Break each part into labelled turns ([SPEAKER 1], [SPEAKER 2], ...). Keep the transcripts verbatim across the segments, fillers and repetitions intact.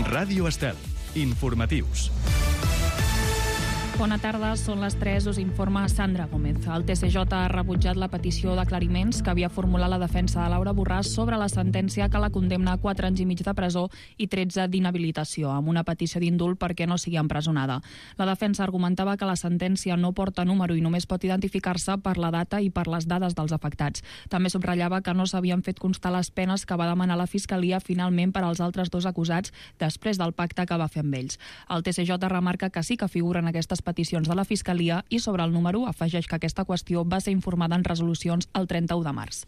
[SPEAKER 1] Ràdio Estel. Informatius.
[SPEAKER 2] Bona tarda, són les tres, us informa Sandra Gómez. El T C J ha rebutjat la petició d'aclariments que havia formulat la defensa de Laura Borràs sobre la sentència que la condemna a quatre anys i mig de presó i tretze d'inhabilitació, amb una petició d'indult perquè no sigui empresonada. La defensa argumentava que la sentència no porta número i només pot identificar-se per la data i per les dades dels afectats. També subratllava que no s'havien fet constar les penes que va demanar la Fiscalia finalment per als altres dos acusats després del pacte que va fer amb ells. El T C J remarca que sí que figuren aquestes peticions de la Fiscalia i sobre el número afegeix que aquesta qüestió va ser informada en resolucions el trenta-u de març.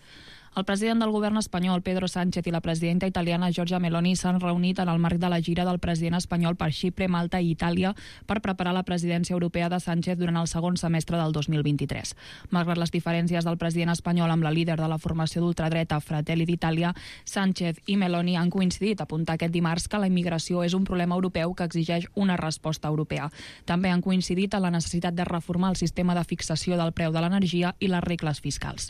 [SPEAKER 2] El president del govern espanyol, Pedro Sánchez, i la presidenta italiana, Giorgia Meloni, s'han reunit en el marc de la gira del president espanyol per Xipre, Malta i Itàlia per preparar la presidència europea de Sánchez durant el segon semestre del dos mil vint-i-tres. Malgrat les diferències del president espanyol amb la líder de la formació d'ultradreta Fratelli d'Itàlia, Sánchez i Meloni han coincidit a apuntar aquest dimarts que la immigració és un problema europeu que exigeix una resposta europea. També han coincidit en la necessitat de reformar el sistema de fixació del preu de l'energia i les regles fiscals.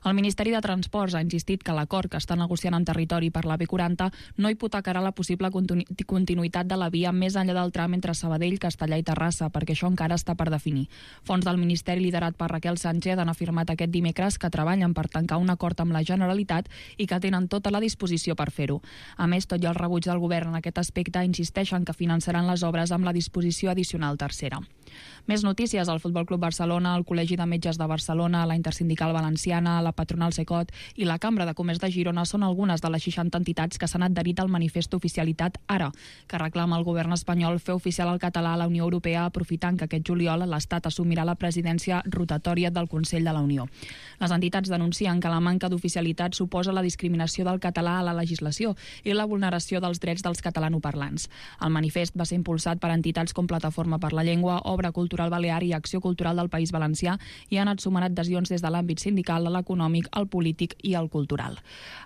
[SPEAKER 2] El Ministeri de Transports ha insistit que l'acord que està negociant amb Territori per la B quaranta no hipotecarà la possible continuïtat de la via més enllà del tram entre Sabadell, Castellà i Terrassa, perquè això encara està per definir. Fons del Ministeri liderat per Raquel Sánchez han afirmat aquest dimecres que treballen per tancar un acord amb la Generalitat i que tenen tota la disposició per fer-ho. A més, tot i el rebuig del govern en aquest aspecte, insisteixen que finançaran les obres amb la disposició addicional tercera. Més notícies: el Futbol Club Barcelona, el Col·legi de Metges de Barcelona, la Intersindical Valenciana, la Patronal Secot i la Cambra de Comerç de Girona són algunes de les seixanta entitats que s'han adherit al manifest Oficialitat Ara, que reclama al govern espanyol fer oficial el català a la Unió Europea, aprofitant que aquest juliol l'Estat assumirà la presidència rotatòria del Consell de la Unió. Les entitats denuncien que la manca d'oficialitat suposa la discriminació del català a la legislació i la vulneració dels drets dels catalanoparlants. El manifest va ser impulsat per entitats com Plataforma per la Llengua, Obra Cultural Balear i Acció Cultural del País Valencià i han anat sumant adhesions des de l'àmbit sindical, l'econòmic, el polític i el cultural.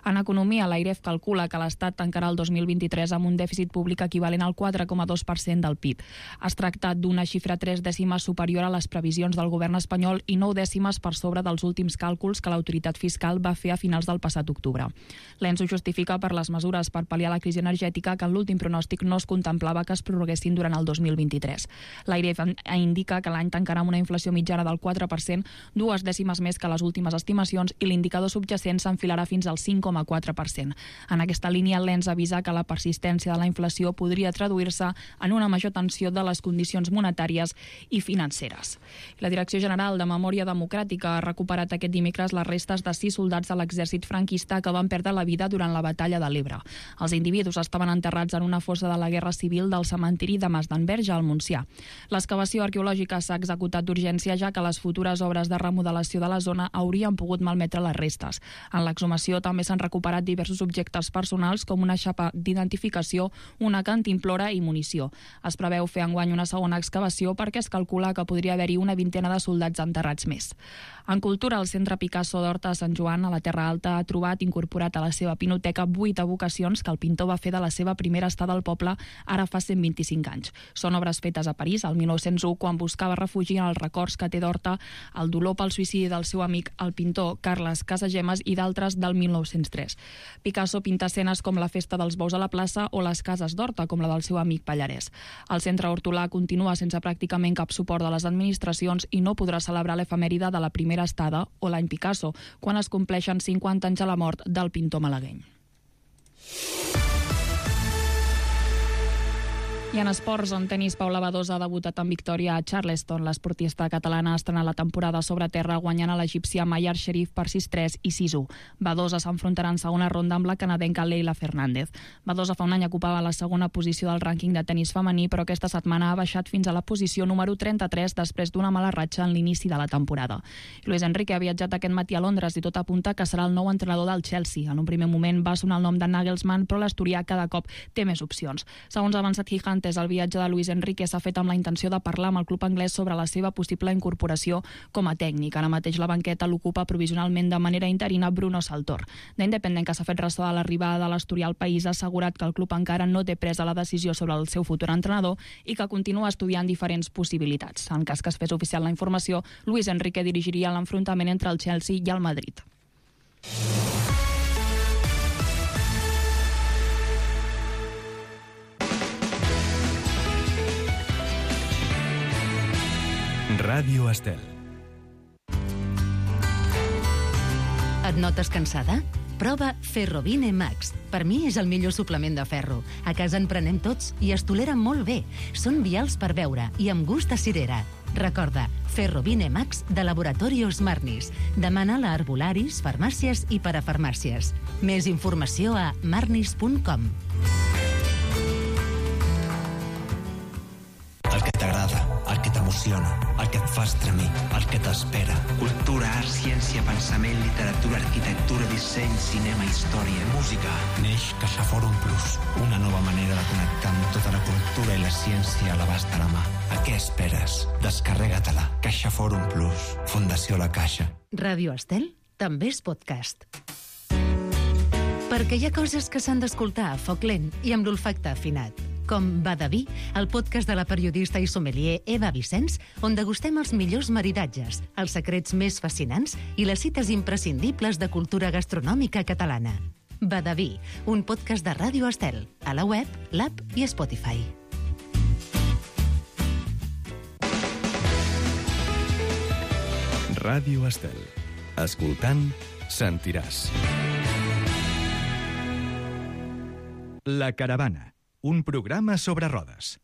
[SPEAKER 2] En economia, l'Airef calcula que l'Estat tancarà el dos mil vint-i-tres amb un dèficit públic equivalent al quatre coma dos per cent del P I B. Es tracta d'una xifra tres dècimes superior a les previsions del govern espanyol i nou dècimes per sobre dels últims càlculs que l'autoritat fiscal va fer a finals del passat octubre. L'ENS ho justifica per les mesures per pal·liar la crisi energètica que en l'últim pronòstic no es contemplava que es prorroguessin durant el dos mil vint-i-tres. L'Airef indica que l'any tancarà amb una inflació mitjana del quatre per cent, dues dècimes més que les últimes estimacions, i l'indicador subjacent s'enfilarà fins al cinc coma quatre per cent. En aquesta línia, l'ENS avisa que la persistència de la inflació podria traduir-se en una major tensió de les condicions monetàries i financeres. La Direcció General de Memòria Democràtica ha recuperat aquest dimecres les restes de sis soldats de l'exèrcit franquista que van perdre la vida durant la batalla de l'Ebre. Els individus estaven enterrats en una fossa de la Guerra Civil del cementiri de Masdenverge al Montsià. L'excavació arqueològica s'ha executat d'urgència, ja que les futures obres de remodelació de la zona haurien pogut malmetre les restes. En l'exhumació també s'han recuperat diversos objectes personals com una xapa d'identificació, una cantimplora i munició. Es preveu fer enguany una segona excavació perquè es calcula que podria haver-hi una vintena de soldats enterrats més. En cultura, el Centre Picasso d'Horta de Sant Joan, a la Terra Alta, ha trobat incorporat a la seva pinoteca vuit evocacions que el pintor va fer de la seva primera estada al poble ara fa cent vint-i-cinc anys. Són obres fetes a París, al mil nou-cents u, quan buscava refugi en els records que té d'Horta, el dolor pel suïcidi del seu amic, el pintor Carles Casagemas, i d'altres del mil nou-cents tres. Picasso pinta escenes com la festa dels bous a la plaça o les cases d'Horta, com la del seu amic Pallarès. El centre hortolà continua sense pràcticament cap suport de les administracions i no podrà celebrar l'efemèride de la primera estada o l'any Picasso, quan es compleixen cinquanta anys a la mort del pintor malagueny. I en esports, en tenis, Paula Badosa ha debutat en victòria a Charleston. L'esportista catalana ha estrenat la temporada sobre terra guanyant a l'egípcia Mayar Sherif per sis tres i sis u. Badosa s'enfrontarà en segona ronda amb la canadenca Leila Fernández. Badosa fa un any ocupava la segona posició del rànquing de tenis femení, però aquesta setmana ha baixat fins a la posició número trenta-tres després d'una mala ratxa en l'inici de la temporada. Luis Enrique ha viatjat aquest matí a Londres i tot apunta que serà el nou entrenador del Chelsea. En un primer moment va sonar el nom de Nagelsmann, però l'asturià cada cop té més opcions. Segons ha avançat Gigante, el viatge de Luis Enrique s'ha fet amb la intenció de parlar amb el club anglès sobre la seva possible incorporació com a tècnic. Ara mateix la banqueta l'ocupa provisionalment de manera interina Bruno Saltor. The Independent, que s'ha fet ressò de l'arribada de l'asturià al país, ha assegurat que el club encara no té presa la decisió sobre el seu futur entrenador i que continua estudiant diferents possibilitats. En cas que es fes oficial la informació, Luis Enrique dirigiria l'enfrontament entre el Chelsea i el Madrid.
[SPEAKER 1] Ràdio Estel.
[SPEAKER 3] Et notes cansada? Prova Ferrovine Max. Per mi és el millor suplement de ferro. A casa en prenem tots i es tolera molt bé. Són vials per beure i amb gust a cirera. Recorda, Ferrovine Max de Laboratorios Marnis. Demana-la a herbolaris, farmàcies i parafarmàcies. Més informació a marnis punt com.
[SPEAKER 4] El que t'agrada, el que t'emociona, el que et fa estremir, el que t'espera.
[SPEAKER 5] Cultura, art, ciència, pensament, literatura, arquitectura, disseny, cinema, història, música.
[SPEAKER 4] Neix CaixaForum Plus, una nova manera de connectar amb tota la cultura i la ciència a l'abast de la mà. A què esperes? Descarrega-te-la. CaixaForum Plus. Fundació La Caixa.
[SPEAKER 3] Ràdio Estel també és podcast. Perquè hi ha coses que s'han d'escoltar a foc lent i amb l'olfacte afinat. Com Badaví, el podcast de la periodista i sommelier Eva Vicenç, on degustem els millors maridatges, els secrets més fascinants i les cites imprescindibles de cultura gastronòmica catalana. Badaví, un podcast de Ràdio Estel, a la web, l'app i Spotify.
[SPEAKER 1] Ràdio Estel. Escoltant, sentiràs. La Caravana, un programa sobre rodes.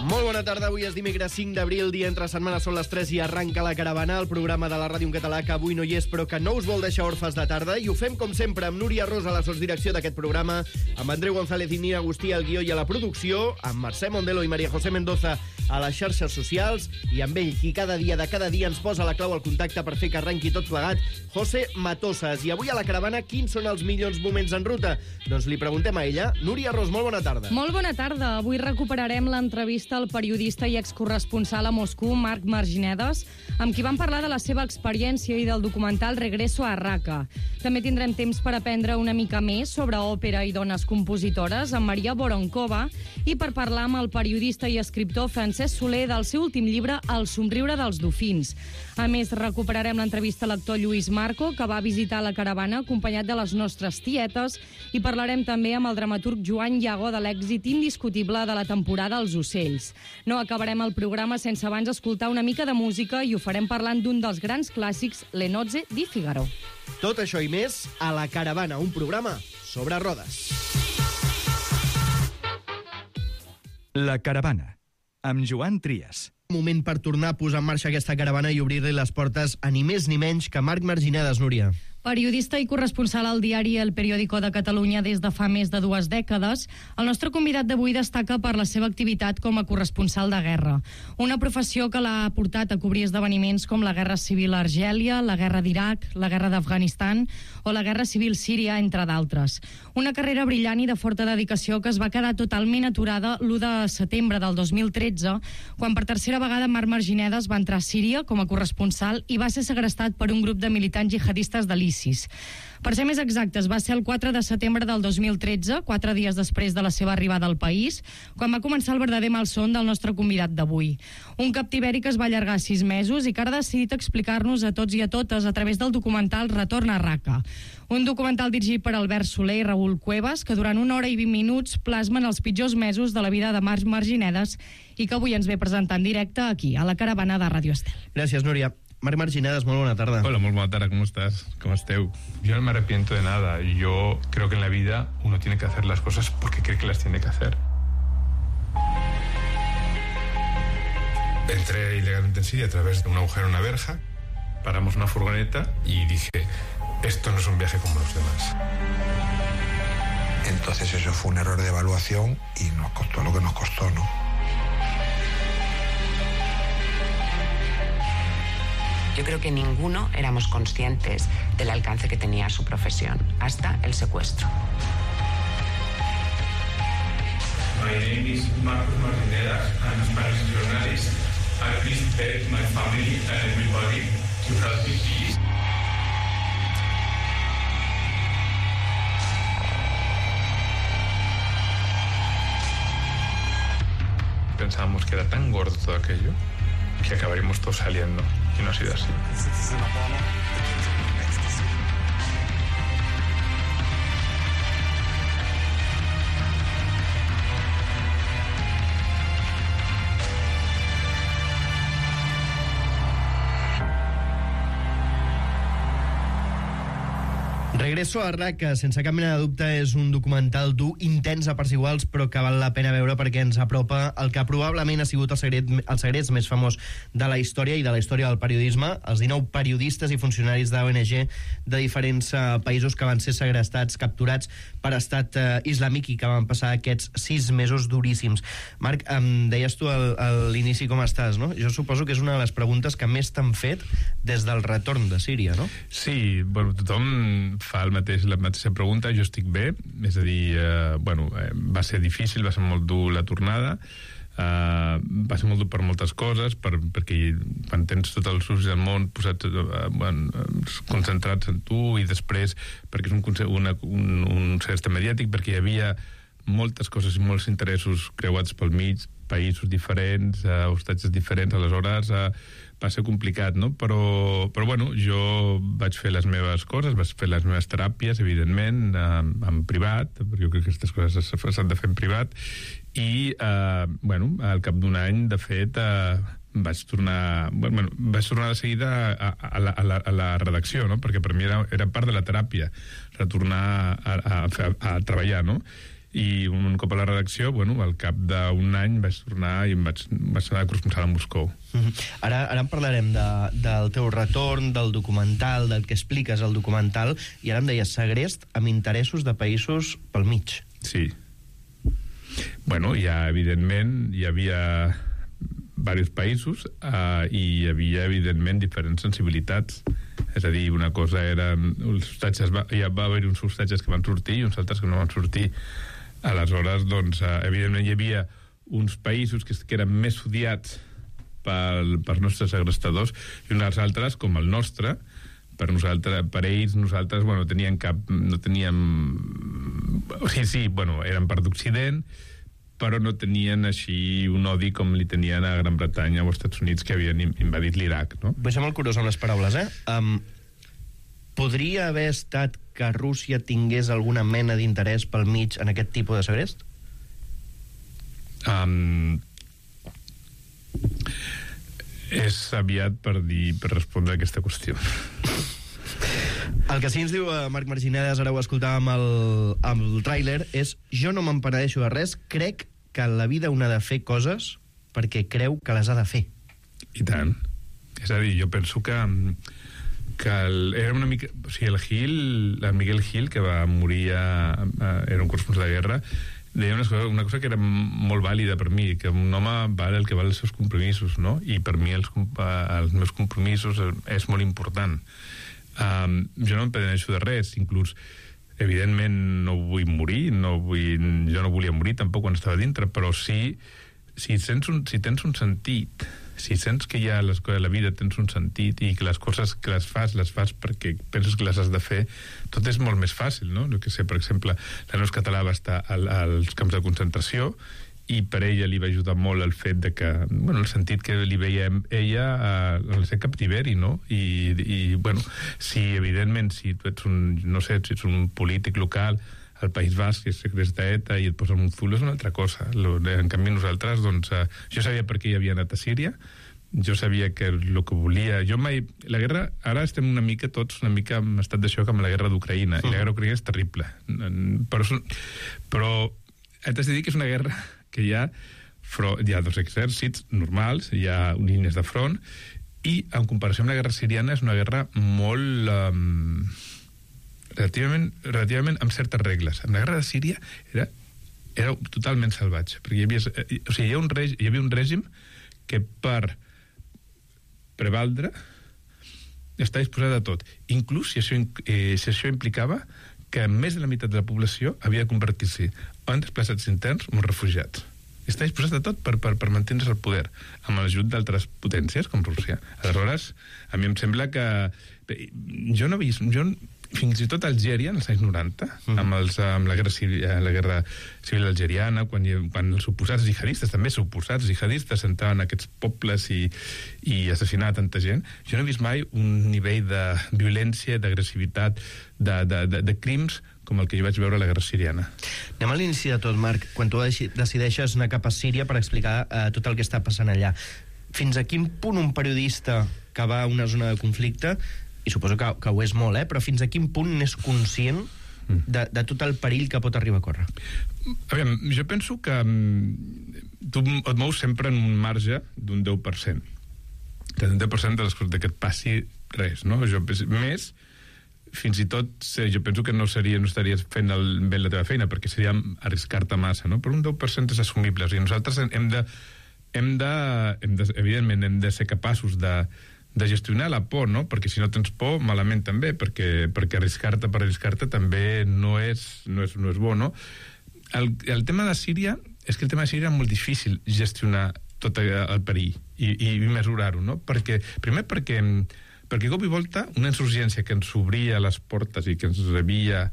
[SPEAKER 6] Molt bona tarda, avui és dimecres cinc d'abril, dia entre setmana, són les tres i arranca La Caravana, el programa de la ràdio en català que avui no hi és però que no us vol deixar orfes de tarda, i ho fem com sempre amb Núria Rosa a la sotsdirecció d'aquest programa, amb Andreu González i Nina Agustí al guió i a la producció, amb Mercè Mondelo i Maria José Mendoza a les xarxes socials, i amb ell, qui cada dia de cada dia ens posa la clau al contacte per fer que arrenqui tot plegat, José Matosas. I avui a La Caravana, quins són els millors moments en ruta? Doncs li preguntem a ella. Núria Ros, molt bona tarda.
[SPEAKER 7] Molt bona tarda. Avui recuperarem l'entrevista al periodista i excorresponsal a Moscou, Marc Marginedes, amb qui vam parlar de la seva experiència i del documental Regreso a Raqqa. També tindrem temps per aprendre una mica més sobre òpera i dones compositores amb Maria Voronkova i per parlar amb el periodista i escriptor Francesc Soler del seu últim llibre El somriure dels dofins. A més, recuperarem l'entrevista a l'actor Lluís Marco, que va visitar La Caravana acompanyat de les nostres tietes, i parlarem també amb el dramaturg Joan Llago de l'èxit indiscutible de la temporada Els ocells. No acabarem el programa sense abans escoltar una mica de música i ho farem parlant d'un dels grans clàssics, Le nozze di Figaro.
[SPEAKER 6] Tot això i més a La Caravana, un programa sobre rodes.
[SPEAKER 1] La Caravana, amb Joan Trias.
[SPEAKER 6] Moment per tornar a posar en marxa aquesta caravana i obrir-li les portes a ni més ni menys que Marc Marginedes, Núria.
[SPEAKER 7] Periodista i corresponsal al diari El Periódico de Catalunya des de fa més de dues dècades, el nostre convidat d'avui destaca per la seva activitat com a corresponsal de guerra. Una professió que l'ha portat a cobrir esdeveniments com la Guerra Civil a Argèlia, la Guerra d'Iraq, la Guerra d'Afganistan o la Guerra Civil síria, entre d'altres. Una carrera brillant i de forta dedicació que es va quedar totalment aturada l'u de setembre del dos mil tretze, quan per tercera vegada Marc Marginedes va entrar a Síria com a corresponsal i va ser segrestat per un grup de militants jihadistes de l'I S I S. Per ser més exactes, va ser el quatre de setembre del dos mil tretze, quatre dies després de la seva arribada al país, quan va començar el verdader malson del nostre convidat d'avui. Un captiveri que es va allargar sis mesos i que ara ha decidit explicar-nos a tots i a totes a través del documental Retorn a Raqqa. Un documental dirigit per Albert Soler i Raül Cuevas, que durant una hora i vint minuts plasmen els pitjors mesos de la vida de Marc Marginedes i que avui ens ve presentar en directe aquí, a La Caravana de Ràdio Estel.
[SPEAKER 6] Gràcies, Núria. Marc Marginedes, molt bona tarda.
[SPEAKER 8] Hola, muy buena tarde, ¿cómo estás? ¿Cómo esteu? Yo no me arrepiento de nada. Yo creo que en la vida uno tiene que hacer las cosas porque cree que las tiene que hacer. Entré ilegalmente en Siria a través de un agujero en una verja, paramos una furgoneta y dije, esto no es un viaje como los demás.
[SPEAKER 9] Entonces eso fue un error de evaluación y nos costó lo que nos costó, ¿no?
[SPEAKER 10] Yo creo que ninguno éramos conscientes del alcance que tenía su profesión, hasta el secuestro.
[SPEAKER 8] My name is Marcos Marginedas. I'm a Spanish journalist. I please beg my family and everybody to help me, please. Pensábamos que era tan gordo todo aquello que acabaríamos todos saliendo, y no ha sido así.
[SPEAKER 6] Regreso a R A C, que sense cap mena de dubte és un documental dur, intens a parts iguals, però que val la pena veure perquè ens apropa el que probablement ha sigut el secret, el secret més famós de la història i de la història del periodisme, els dinou periodistes i funcionaris de l'O N G de diferents uh, països que van ser segrestats, capturats per estat uh, islàmic i que van passar aquests sis mesos duríssims. Marc, em deies tu al, a l'inici com estàs, no? Jo suposo que és una de les preguntes que més t'han fet des del retorn de Síria, no?
[SPEAKER 8] Sí, bueno, tothom fa el mateix, la mateixa pregunta. Jo estic bé, és a dir, eh, bueno, eh, va ser difícil, va ser molt dur la tornada, eh, va ser molt dur per moltes coses, per, perquè quan tens tots els ulls del món posats, eh, bueno, concentrats en tu, i després perquè és un, una, un, un segest mediàtic, perquè hi havia moltes coses i molts interessos creuats pel mig, països diferents, eh, hostatges diferents, aleshores eh, va ser complicat, no? Però, però bueno, jo vaig fer les meves coses, vaig fer les meves teràpies, evidentment, eh, en privat, perquè jo crec que aquestes coses s'han de fer en privat, i, eh, bueno, al cap d'un any, de fet, eh, vaig tornar, bueno, vaig tornar de seguida a, a, la, a, la, a la redacció, no? Perquè per mi era, era part de la teràpia, retornar a, a, a, a treballar, no? I un cop a la redacció, bueno, al cap d'un any vaig tornar i em vaig, vaig anar a corresponsal a Moscou.
[SPEAKER 6] Mm-hmm. Ara, ara en parlarem de, del teu retorn, del documental, del que expliques al documental, i ara em deies segrest amb interessos de països pel mig.
[SPEAKER 8] Sí. Bueno, ja, evidentment, hi havia diversos països eh, i hi havia, evidentment, diferents sensibilitats. És a dir, una cosa eren els hostatges, va, ja va haver uns hostatges que van sortir i uns altres que no van sortir. Aleshores, doncs, eh, evidentment hi havia uns països que, que eren més odiats pel, pels nostres segrestadors i uns altres, com el nostre, per nosaltres, per ells, nosaltres, bueno, tenien cap, no teníem... O sigui, sí, bueno, eren part d'Occident, però no tenien així un odi com li tenien a Gran Bretanya o als Estats Units, que havien invadit l'Iraq, no?
[SPEAKER 6] Vull ser molt curiós amb les paraules, eh? Um, podria haver estat que Rússia tingués alguna mena d'interès pel mig en aquest tipus de segrest?
[SPEAKER 8] Um, és aviat per dir, per respondre a aquesta qüestió.
[SPEAKER 6] El que sí ens diu uh, Marc Marginedes, ara ho escoltàvem amb el, amb el tràiler, és: jo no me'n penedeixo de res, crec que en la vida un ha de fer coses perquè creu que les ha de fer.
[SPEAKER 8] I tant. És a dir, jo penso que, que el, era una mica... O sigui, el Gil, el Miguel Gil, que va morir a, a, era un corresponsal de guerra, deia una cosa, una cosa que era molt vàlida per mi, que un home val el que val els seus compromisos, no? I per mi els, els meus compromisos és molt important. Um, jo no em penedeixo de res, inclús evidentment no vull morir, no vull, jo no volia morir tampoc quan estava dintre, però sí, si, tens un, si tens un sentit, si sents que ja les coses de la vida tens un sentit i que les coses que les fas, les fas perquè penses que les has de fer, tot és molt més fàcil, no? Jo que sé, per exemple, la Neus Català va estar al, als camps de concentració i per ella li va ajudar molt el fet de que, bueno, el sentit que li veia ella al ser captiveri, no? I, i, bueno, si evidentment, si tu ets un, no sé, si ets un polític local al País Basc i és segresta ETA i et posen un full, és una altra cosa. En canvi, nosaltres, doncs, eh, jo sabia per què hi havia anat a Síria, jo sabia que el que volia... Jo mai... La guerra... Ara estem una mica tots, una mica en estat de xoc amb la guerra d'Ucraïna, mm. i la guerra d'Ucraïna és terrible. Però, però haig de dir que és una guerra que hi ha, hi ha dos exèrcits normals, hi ha línies de front, i en comparació amb la guerra siriana és una guerra molt... Um, relativament, relativament amb certes regles. En la guerra de Síria era, era totalment salvatge, perquè hi havia, o sigui, hi, ha un règim, hi havia un règim que per prevaldre està disposat a tot, inclús si això, eh, si això implicava que més de la meitat de la població havia de convertir-se en desplaçats interns o en refugiats. Està disposat a tot per, per, per mantenir-se al poder, amb l'ajut d'altres potències, com Rússia. Aleshores, a mi em sembla que... Jo no he vist... Jo, fins i tot a Algèria, en els anys noranta, mm. amb, els, amb la guerra civil, la guerra civil algeriana, quan, quan els oposats jihadistes, també suposats jihadistes, entraven a aquests pobles i, i assassinaven tanta gent, jo no he vist mai un nivell de violència, d'agressivitat, de, de, de, de crims com el que jo vaig veure a la guerra siriana.
[SPEAKER 6] Anem a l'inici de tot, Marc. Quan tu decideixes anar cap a Síria per explicar eh, tot el que està passant allà, fins a quin punt un periodista que va a una zona de conflicte i suposo que, que ho és molt, eh? Però fins a quin punt n'és conscient de, de tot el perill que pot arribar a córrer?
[SPEAKER 8] Aviam, jo penso que tu et mous sempre en un marge d'un deu per cent. Un deu per cent de les coses que et passi res, no? Jo, més, fins i tot, jo penso que no, seria, no estaries fent el, bé la teva feina, perquè seria arriscar-te massa, no? Però un deu per cent és assumible. O sigui, nosaltres hem de, hem de, hem de, evidentment, hem de ser capaços de, de gestionar la por, no? Perquè si no tens por, malament també, perquè, perquè arriscar-te per arriscar-te també no és, no és, no és bo, no? El, el tema de Síria, és que el tema de Síria és molt difícil gestionar tot el perill i, i mesurar-ho, no? Perquè, primer perquè, perquè cop i volta una insurgència que ens obria les portes i que ens rebia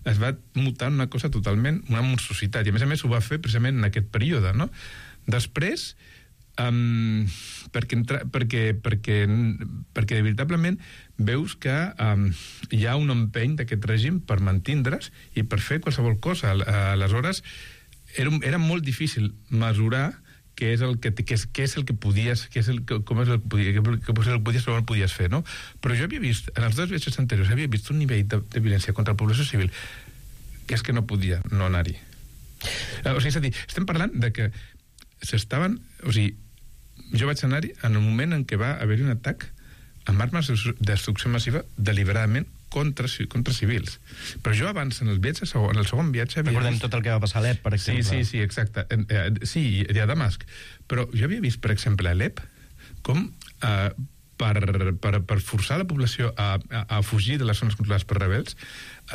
[SPEAKER 8] es va mutar en una cosa totalment, una monstruositat, i a més a més ho va fer precisament en aquest període, no? Després, um, perquè, entra, perquè, perquè, perquè veritablement veus que um, hi ha un empeny d'aquest règim per mantindre's i per fer qualsevol cosa. Aleshores, era, era molt difícil mesurar què és el que, què és, què és el que podies, què és el, com és el que podies, què és el que podies, com el podies fer, no? Però jo havia vist, en els dos viatges anteriors, havia vist un nivell de, de violència contra la població civil que és que no podia no anar-hi. O sigui, és a dir, estem parlant de que s'estaven... O sigui, jo vaig anar-hi en el moment en què va haver-hi un atac amb armes de destrucció massiva deliberadament contra, contra civils. Però jo abans, en el viatge, en el segon viatge...
[SPEAKER 6] Recordem vist... tot el que va passar a Alep, per exemple.
[SPEAKER 8] Sí, sí, sí, exacte. Sí, i a Damasc. Però jo havia vist, per exemple, a Alep, com eh, per, per, per forçar la població a, a, a fugir de les zones controlades per rebels,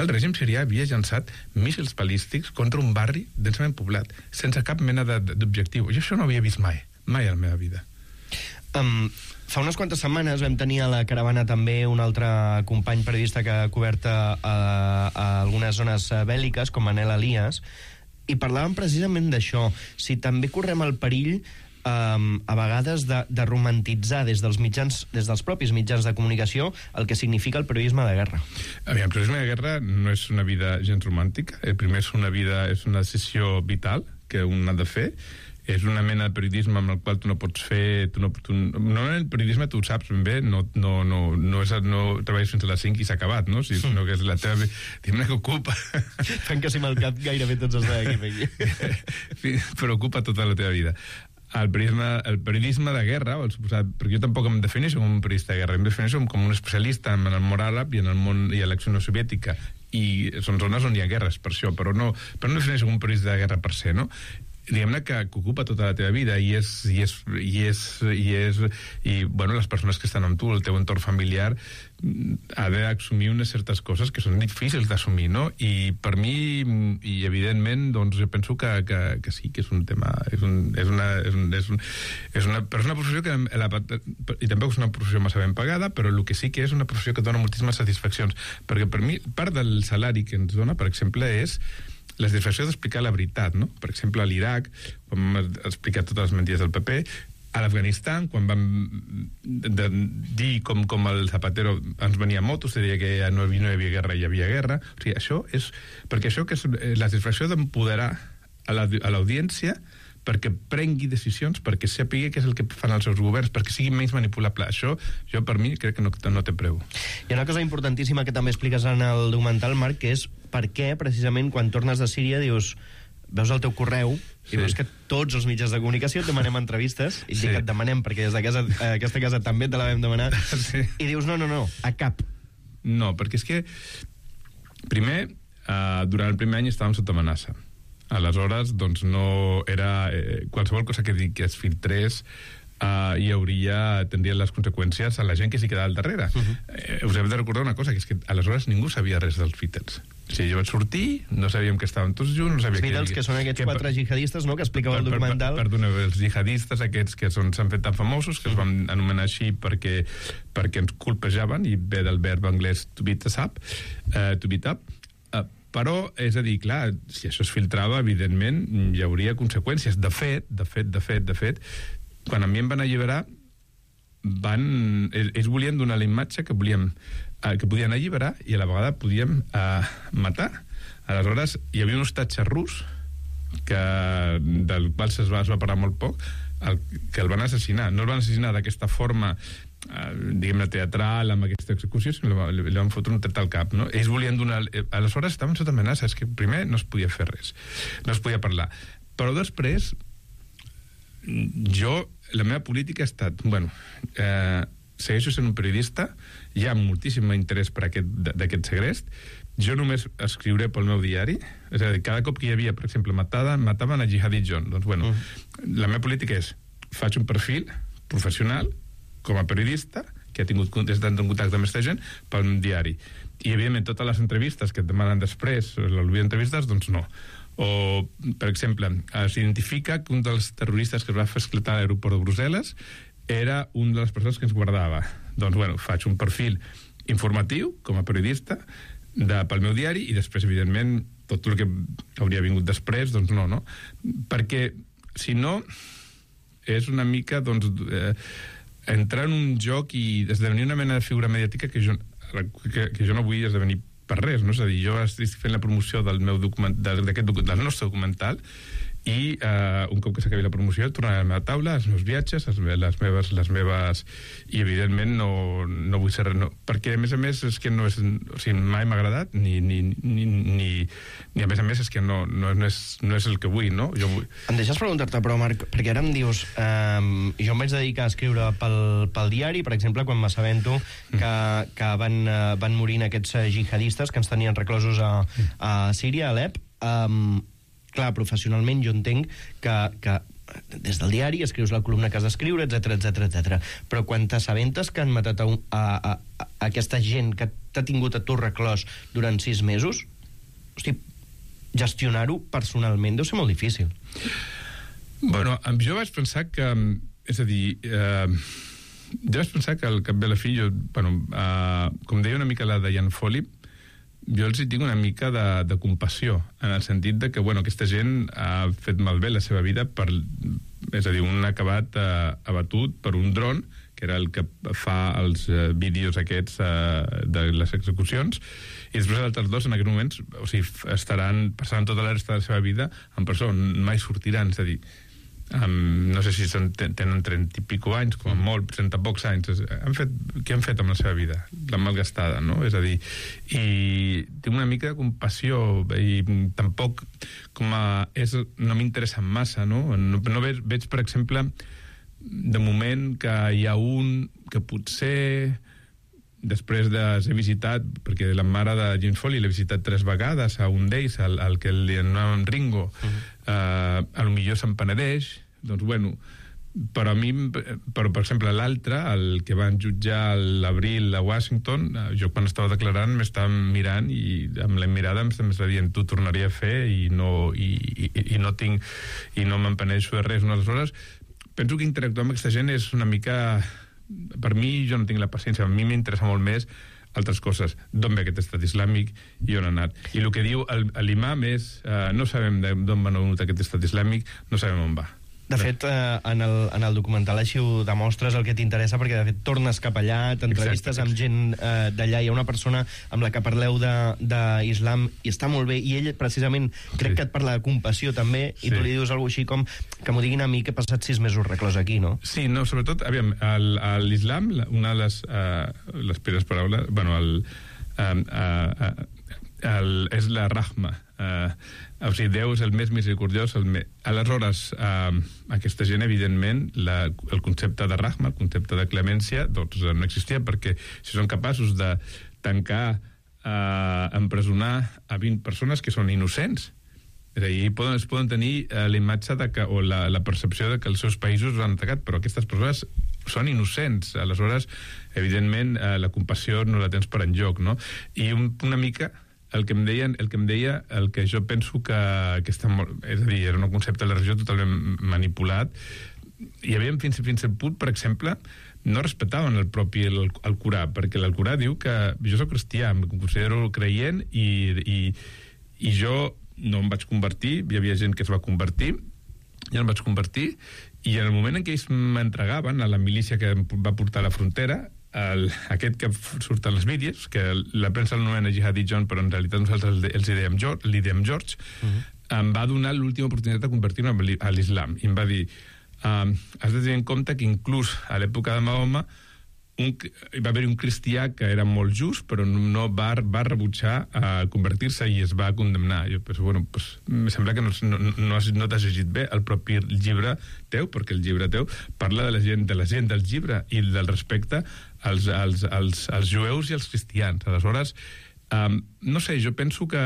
[SPEAKER 8] el règim sirià havia llançat míssils balístics contra un barri densament poblat, sense cap mena d'objectiu. Jo això no havia vist mai, mai a la meva vida.
[SPEAKER 6] Um, fa unes quantes setmanes vam tenir a la caravana també un altre company periodista que ha cobert a, a algunes zones bèl·liques, com Manel Elias, i parlàvem precisament d'això. Si també correm el perill um, a vegades de, de romantitzar des dels mitjans, des dels propis mitjans de comunicació el que significa el periodisme de guerra.
[SPEAKER 8] Aviam, el periodisme de guerra no és una vida gens romàntica. El primer és una vida, és una decisió vital que un ha de fer. És una mena de periodisme amb el qual tu no pots fer... Tu no, tu, no el periodisme tu ho saps ben bé, no, no, no, no, és, no treballes fins a les cinc i s'ha acabat, no? Si, sinó que és la teva... Diguem-ne que ocupa...
[SPEAKER 6] Fent que si mal cap gairebé tots els d'aquí.
[SPEAKER 8] Però ocupa tota la teva vida. El periodisme, el periodisme de guerra, el suposat, perquè jo tampoc em defineixo com un periodista de guerra, em defineixo com un especialista en el món àrab i en el món i a l'acció no soviètica, i són zones on hi ha guerres, per això, però no, però no defineixo com un periodista de guerra per ser, no? Diguem-ne que, que ocupa tota la teva vida i és, i és, i és, i és i, bueno, les persones que estan amb tu, el teu entorn familiar ha d'assumir unes certes coses que són difícils d'assumir, no? I per mi, i evidentment, doncs jo penso que, que, que sí, que és un tema és, un, és una és, un, és, un, és una però és una professió que la, i tampoc és una professió massa ben pagada, però el que sí que és una professió que dona moltíssimes satisfaccions, perquè per mi part del salari que ens dona, per exemple, és la satisfacció d'explicar la veritat, no? Per exemple, a l'Iraq, quan vam explicar totes les mentides del P P, a l'Afganistan, quan vam de, de dir com, com el Zapatero ens venia a motos, deia que ja no, no hi havia guerra, hi havia guerra. O sigui, això és... Perquè això que és la satisfacció d'empoderar a l'audiència perquè prengui decisions, perquè sàpiga què és el que fan els seus governs, perquè sigui menys manipulable. Això, jo per mi, crec que no, no té preu.
[SPEAKER 6] Hi ha una cosa importantíssima que també expliques en el documental, Marc, que és per què, precisament, quan tornes de Síria, dius, veus el teu correu i sí. Veus que tots els mitjans de comunicació et demanem entrevistes, i sí. Dic que et demanem perquè des de casa, eh, aquesta casa també te la vam demanar, sí. I dius, no, no, no, a cap.
[SPEAKER 8] No, perquè és que, primer, eh, durant el primer any estàvem sota amenaça. Aleshores, doncs no era... Eh, qualsevol cosa que, que es filtrés uh, hi hauria, tindria les conseqüències a la gent que s'hi quedava al darrere. Uh -huh. eh, us hem de recordar una cosa, que és que aleshores ningú sabia res dels Beatles. O sigui, jo vaig sortir, no sabíem que estaven tots junts, no sabia...
[SPEAKER 6] Els Beatles, que, que són aquests que, quatre jihadistes, no?, que explicava el documental.
[SPEAKER 8] Per, per, perdona, els jihadistes aquests que s'han fet tan famosos, que uh -huh. es van anomenar així perquè, perquè ens colpejaven, i ve del verb anglès to beat us up, uh, to beat up, uh, però, és a dir, clar, si això es filtrava, evidentment, hi hauria conseqüències. De fet, de fet, de fet, de fet, quan a mi em van alliberar, van, ells volien donar la imatge que volíem, eh, que podien alliberar i a la vegada podíem eh, matar. Aleshores, hi havia un hostatge rus, que, del qual es va, es va parlar molt poc, el, que el van assassinar. No el van assassinar d'aquesta forma, eh, diguem-ne, teatral, amb aquesta execució, sinó li, li van fotre un tret al cap, no? Ells volien donar... Eh, aleshores estaven sota amenaça, és que primer no es podia fer res, no es podia parlar. Però després, jo, la meva política ha estat, bueno, eh, segueixo sent un periodista, hi ha moltíssim interès per aquest, d'aquest segrest, jo només escriuré pel meu diari, és a dir, cada cop que hi havia, per exemple, matada, mataven a Jihadi John. Doncs, bueno, uh-huh. la meva política és, faig un perfil professional, com a periodista, que ha tingut, estat en contacte amb aquesta gent, pel diari. I, evidentment, totes les entrevistes que et demanen després, l'olvida d'entrevistes, doncs no. O, per exemple, s'identifica que un dels terroristes que es va fer esclatar a l'aeroport de Brussel·les era una de les persones que ens guardava. Doncs, bueno, faig un perfil informatiu, com a periodista, de, pel meu diari, i després, evidentment, tot el que hauria vingut després, doncs no, no? Perquè, si no, és una mica, doncs, eh, entrar en un joc i esdevenir una mena de figura mediàtica que jo, que, que jo no vull esdevenir per res, no? És a dir, jo estic fent la promoció del meu document, d'aquest document, del nostre documental, i uh, un cop que s'acabi la promoció tornaré a la meva taula, els meus viatges, les meves, les meves i evidentment no, no vull ser res, no, perquè a més a més és que no és, o sigui, mai m'ha agradat ni, ni, ni, ni, ni a més a més és que no, no, no, és, no és el que vull, no? Jo vull...
[SPEAKER 6] Em deixes preguntar-te, però Marc, perquè ara em dius um, jo em vaig dedicar a escriure pel, pel diari, per exemple, quan m'assabento que, que van, uh, van morint aquests uh, jihadistes que ens tenien reclosos a, a Síria, a Alep. um, Clar, professionalment jo entenc que, que des del diari escrius la columna que has d'escriure, etcètera, etcètera, etcètera. Però quan t'assabentes que han matat a, un, a, a, a aquesta gent que t'ha tingut a tu reclòs durant sis mesos, hosti, gestionar-ho personalment deu ser molt difícil.
[SPEAKER 8] Bueno, jo vaig pensar que, és a dir, eh, jo vaig pensar que al cap de la fi, jo, bueno, eh, com deia una mica la Diane Foley, jo els hi tinc una mica de, de compassió, en el sentit de que, bueno, aquesta gent ha fet malbé la seva vida per, és a dir, un ha acabat eh, abatut per un dron, que era el que fa els eh, vídeos aquests eh, de les execucions, i després els altres dos en aquests moments, o sigui, estaran, passaran tota la resta de la seva vida en presó, mai sortiran, és a dir, Um, no sé si són, tenen trenta i pico anys, com a molt, trenta pocs anys. Han fet, què han fet amb la seva vida? La malgastada, no? És a dir, i tinc una mica de compassió i tampoc com a... És, no m'interessa massa, no? No, no veig, veig, per exemple, de moment que hi ha un que potser després de ser visitat, perquè la mare de James Foley l'he visitat tres vegades a un d'ells, al, al que li anomenaven Ringo, uh-huh. uh, a lo millor se'n penedeix, doncs bueno, però a mi, però per exemple l'altre, el que van jutjar a l'abril a Washington, jo quan estava declarant m'estava mirant i amb la mirada em estava dient, tu tornaria a fer i no, i, i, i no tinc, i no me'n penedeixo de res. Aleshores, penso que interactuar amb aquesta gent és una mica... Per mi, jo no tinc la paciència, a mi m'interessa molt més altres coses, d'on ve aquest estat islàmic i on ha anat. I el que diu l'imam és, eh, no sabem d'on va venut aquest estat islàmic, no sabem on va.
[SPEAKER 6] De fet, eh, en, el, en el documental així ho demostres el que t'interessa, perquè de fet tornes cap allà, t'entrevistes amb gent eh, d'allà, hi ha una persona amb la que parleu d'islam i està molt bé, i ell precisament crec sí. que et parla de compassió també, sí. i tu li dius alguna així com que m'ho diguin a mi que he passat sis mesos reclòs aquí, no?
[SPEAKER 8] Sí, no, sobretot, aviam, l'islam, una de les, uh, les primeres paraules, bueno, el, uh, uh, el, és la rahma, uh, o sigui, Déu és el més misericordiós. El me... Aleshores, eh, aquesta gent, evidentment, la, el concepte de rahma, el concepte de clemència, doncs no existia, perquè si són capaços de tancar, eh, empresonar a vint persones que són innocents, és a dir, poden, es poden tenir eh, la imatge de que, o la, la percepció de que els seus països han atacat, però aquestes persones són innocents. Aleshores, evidentment, eh, la compassió no la tens per enlloc, no? I un, una mica... El que em deien, el que em deia, el que jo penso que, que està molt... És a dir, era un concepte de la religió totalment manipulat. Hi havia fins, fins al punt, per exemple, no respectaven el propi el, el Corà, perquè el Corà diu que jo soc cristià, em considero creient i, i, i jo no em vaig convertir, hi havia gent que es va convertir, jo em vaig convertir, i en el moment en què ells m'entregaven a la milícia que em va portar a la frontera, El, aquest que surt als vídeos, que la premsa l'anomena Jihadi John, però en realitat nosaltres els hi dèiem George, li dèiem George, uh-huh. em va donar l'última oportunitat de convertir-me a l'islam. I em va dir, um, has de tenir en compte que inclús a l'època de Mahoma un, va haver un cristià que era molt just, però no va, va rebutjar a convertir-se i es va condemnar. Jo penso, bueno, pues, em sembla que no, no, no, has, no t'has llegit bé el propi llibre teu, perquè el llibre teu parla de la gent, de la gent del llibre i del respecte als, als, als, als jueus i als cristians. Aleshores, Um, no sé, jo penso que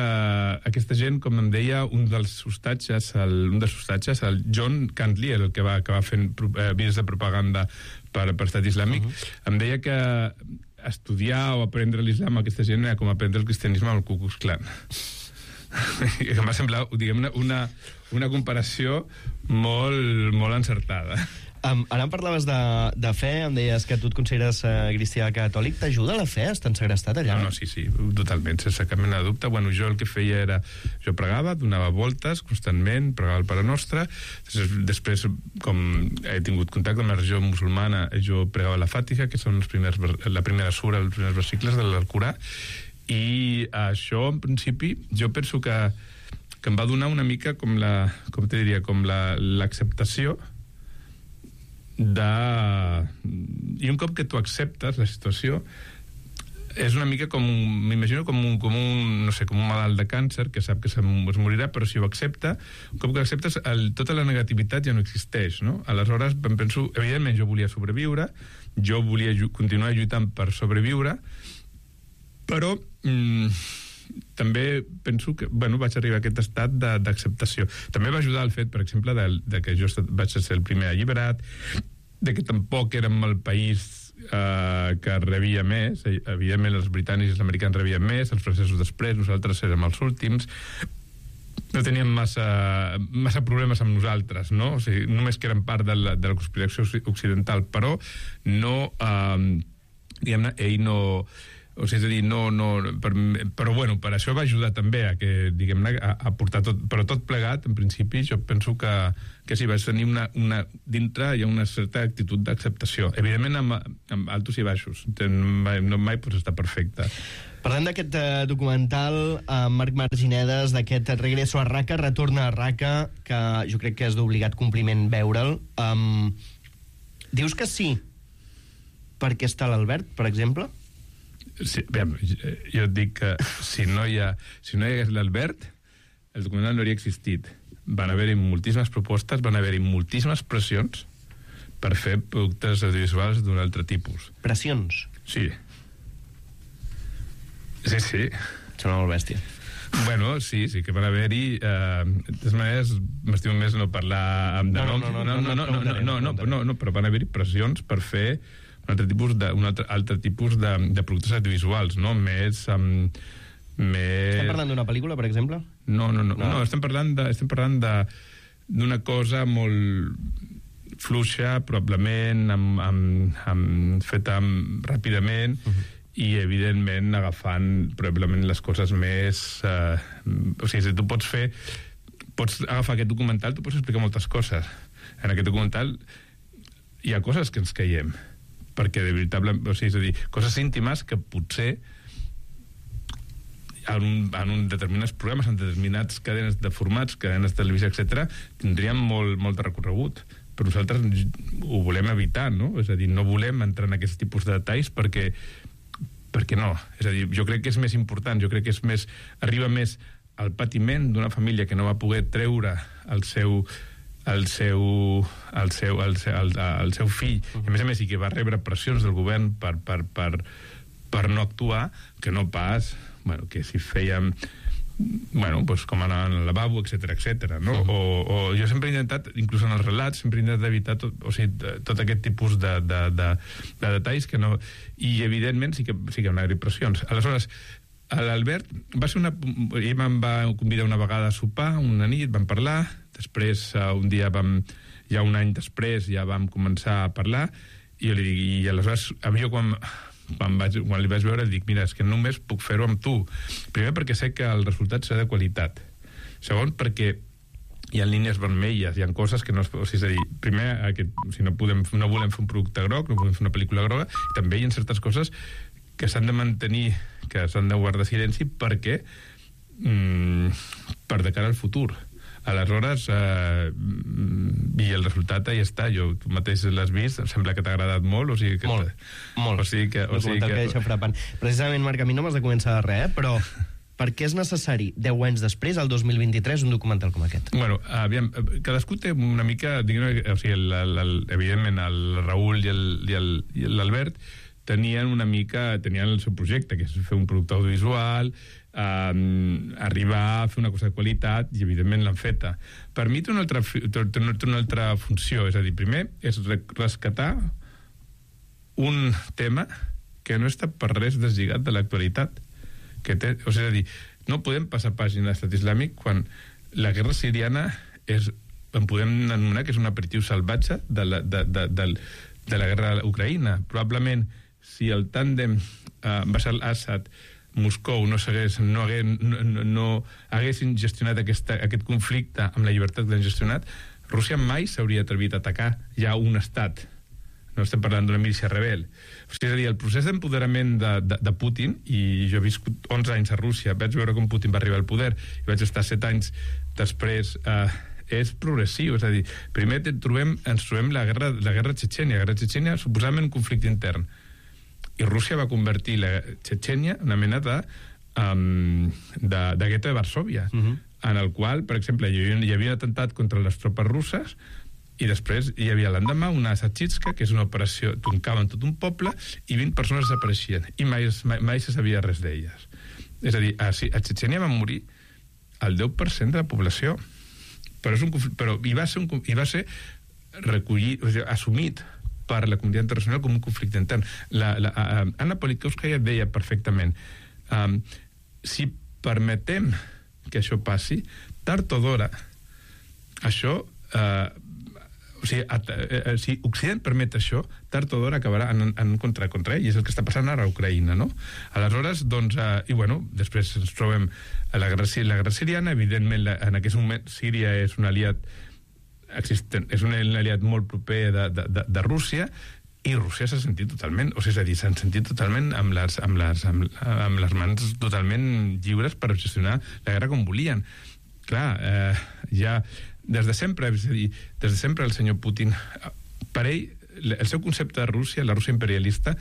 [SPEAKER 8] aquesta gent, com em deia un dels hostatges, el, un dels hostatges, el John Cantley, el que va acabar fent eh, vídeos de propaganda per, per Estat Islàmic, uh -huh. em deia que estudiar o aprendre l'islam a aquesta gent era com aprendre el cristianisme al Ku Klux Klan. Que m'ha semblat, diguem-ne, una, una comparació molt, molt encertada.
[SPEAKER 6] Um, ara em parlaves de, de fe, em deies que tu et consideres uh, cristià catòlic. T'ajuda la fe? Estàs segrestat allà?
[SPEAKER 8] No, no, sí, sí, totalment, sense cap mena de dubte. Bueno, jo el que feia era... Jo pregava, donava voltes constantment, pregava el Pare Nostre. Després, com he tingut contacte amb la religió musulmana, jo pregava la Fàtiha, que són els primers, la primera sura, els primers versicles de l'Alcorà. I això, en principi, jo penso que, que em va donar una mica com la... Com te diria? Com l'acceptació la, de... I un cop que tu acceptes la situació, és una mica com, m'imagino com un, com un, no sé, com un malalt de càncer que sap que es morirà, però si ho accepta, un cop que acceptes, el, tota la negativitat ja no existeix, no? Aleshores, em penso, evidentment, jo volia sobreviure, jo volia continuar lluitant per sobreviure, però mm, també penso que, bueno, vaig arribar a aquest estat d'acceptació. També va ajudar el fet, per exemple, de, de que jo vaig ser el primer alliberat, de que tampoc érem el país eh, que rebia més. Evidentment, els britànics i els americans rebien més, els francesos després, nosaltres érem els últims. No teníem massa, massa problemes amb nosaltres, no? O sigui, només que eren part de la, de la conspiració occidental, però no... Eh, diguem-ne, ell no... O sigui, és a dir, no, no, per, però bueno, per això va ajudar també a que, diguem-ne, a, a portar tot, però tot plegat, en principi, jo penso que, que sí, vaig tenir una, una, dintre hi ha una certa actitud d'acceptació. Evidentment, amb, amb altos i baixos. Mai, no mai pots estar perfecte.
[SPEAKER 6] Parlem d'aquest uh, documental, uh, Marc Marginedes, d'aquest Regreso a Raqqa, Retorna a Raqqa, que jo crec que és d'obligat compliment veure'l. Um, dius que sí perquè està l'Albert, per exemple?
[SPEAKER 8] Sí, bé, jo et dic que si no hi ha, si no hi hagués l'Albert, el documental no hauria existit. Van haver-hi moltíssimes propostes, van haver-hi moltíssimes pressions per fer productes audiovisuals d'un altre tipus.
[SPEAKER 6] Pressions?
[SPEAKER 8] Sí. Sí, sí.
[SPEAKER 6] Sona molt bèstia.
[SPEAKER 8] Bueno, sí, sí que van haver-hi... Eh, de totes maneres, m'estimo més no parlar amb de
[SPEAKER 6] no,
[SPEAKER 8] noms.
[SPEAKER 6] No, no, no, no, no, no,
[SPEAKER 8] no, no, no, no, però van haver-hi pressions per fer un altre tipus de, un altre, altre tipus de, de productes audiovisuals, no? Més... Um, més...
[SPEAKER 6] Estem parlant d'una pel·lícula, per exemple?
[SPEAKER 8] No, no, no, no, no estem parlant de, estem parlant de d'una cosa molt fluixa, probablement, amb, amb, amb, feta amb, ràpidament, uh-huh. i, evidentment, agafant probablement les coses més... Eh, o sigui, si tu pots fer... Pots agafar aquest documental, tu pots explicar moltes coses. En aquest documental hi ha coses que ens caiem, perquè de veritable, o sigui, és a dir, coses íntimes que potser en, un, en un determinats programes, en determinats cadenes de formats, cadenes de televisió, etcètera, tindrien molt, molt de recorregut. Però nosaltres ho volem evitar, no? És a dir, no volem entrar en aquests tipus de detalls perquè, perquè no. És a dir, jo crec que és més important, jo crec que és més, arriba més al patiment d'una família que no va poder treure el seu... el seu, el seu, el seu, el, el seu fill, uh-huh. i a més a més i que va rebre pressions del govern per, per, per, per no actuar, que no pas, bueno, que si fèiem bueno, pues com anar al lavabo, etcètera, etcètera, no? Uh-huh. O, o jo sempre he intentat, inclús en els relats, sempre he intentat evitar tot, o sigui, tot aquest tipus de, de, de, de detalls que no... I, evidentment, sí que, sí que hi ha pressions. Aleshores, l'Albert va ser una... Ell em va convidar una vegada a sopar, una nit, vam parlar, després un dia vam... Ja un any després ja vam començar a parlar, i jo li dic, i aleshores, a mi jo quan, quan, vaig, quan li vaig veure, dic, mira, és que només puc fer-ho amb tu. Primer perquè sé que el resultat serà de qualitat. Segon, perquè hi ha línies vermelles, hi ha coses que no es... O sigui, és a dir, primer, aquest, si no, podem, no volem fer un producte groc, no volem fer una pel·lícula groga, i també hi ha certes coses que s'han de mantenir, que s'han de guardar silenci perquè mm, per de cara al futur. Aleshores, eh, i el resultat ahí està. Jo, tu mateix l'has vist, em sembla que t'ha agradat molt, o sigui que...
[SPEAKER 6] Molt, molt.
[SPEAKER 8] O sigui que... O sigui que...
[SPEAKER 6] que deixa frapant. Precisament, Marc, a mi no m'has de començar de res, eh? Però per què és necessari, deu anys després, el dos mil vint-i-tres, un documental com aquest?
[SPEAKER 8] Bueno, aviam, cadascú té una mica... Diguem, o sigui, el, el, el, evidentment, el Raül i el, i el, i l'Albert tenien una mica, tenien el seu projecte, que és fer un producte audiovisual, eh, arribar a fer una cosa de qualitat, i evidentment l'han feta. Per mi té una altra, té una altra funció, és a dir, primer és rescatar un tema que no està per res deslligat de l'actualitat. Que té, o sigui, és a dir, no podem passar pàgina a l'estat islàmic quan la guerra siriana és, en podem anomenar que és un aperitiu salvatge de la, de, de, de, de la guerra a Ucraïna. Probablement, si el tàndem eh, Bashar al-Assad, Moscou no, no, hagués, no, no haguessin gestionat aquesta, aquest conflicte amb la llibertat que l'han gestionat, Rússia mai s'hauria atrevit a atacar ja un estat. No estem parlant d'una milícia rebel. O sigui, és a dir, el procés d'empoderament de, de, de Putin, i jo he viscut onze anys a Rússia, vaig veure com Putin va arribar al poder, i vaig estar set anys després... Eh, és progressiu, és a dir, primer trobem, ens trobem la guerra, la guerra Txetxènia. La guerra Txetxènia suposadament un conflicte intern. I Rússia va convertir la Txetxènia en una mena de, um, de, de gueto de Varsòvia, uh-huh. en el qual, per exemple, hi havia, hi havia un atemptat contra les tropes russes, i després hi havia l'endemà una Sachitska, que és una operació, toncaven tot un poble, i vint persones desapareixien, i mai, mai, mai se sabia res d'elles. És a dir, a, a Txetxènia van morir el deu per cent de la població. Però, és un, però hi va ser, un, hi va ser recollit, o sigui, assumit per la comunitat internacional com un conflicte intern. La, la, uh, Anna Politkovskaya deia perfectament, um, si permetem que això passi, tard o d'hora, això, uh, o sigui, at, uh, si Occident permet això, tard o d'hora acabarà en, en contra, contra ell, i és el que està passant ara a Ucraïna, no? Aleshores, doncs, uh, i bueno, després ens trobem a la guerra, la guerra siriana, evidentment, la, en aquest moment, Síria és un aliat existent, és un aliat molt proper de, de, de, de Rússia, i Rússia s'ha sentit totalment, o sigui, és a dir, s'han sentit totalment amb les, amb, les, amb, amb les mans totalment lliures per gestionar la guerra com volien. Clar, eh, ja des de sempre, és a dir, des de sempre el senyor Putin, per ell, el seu concepte de Rússia, la Rússia imperialista,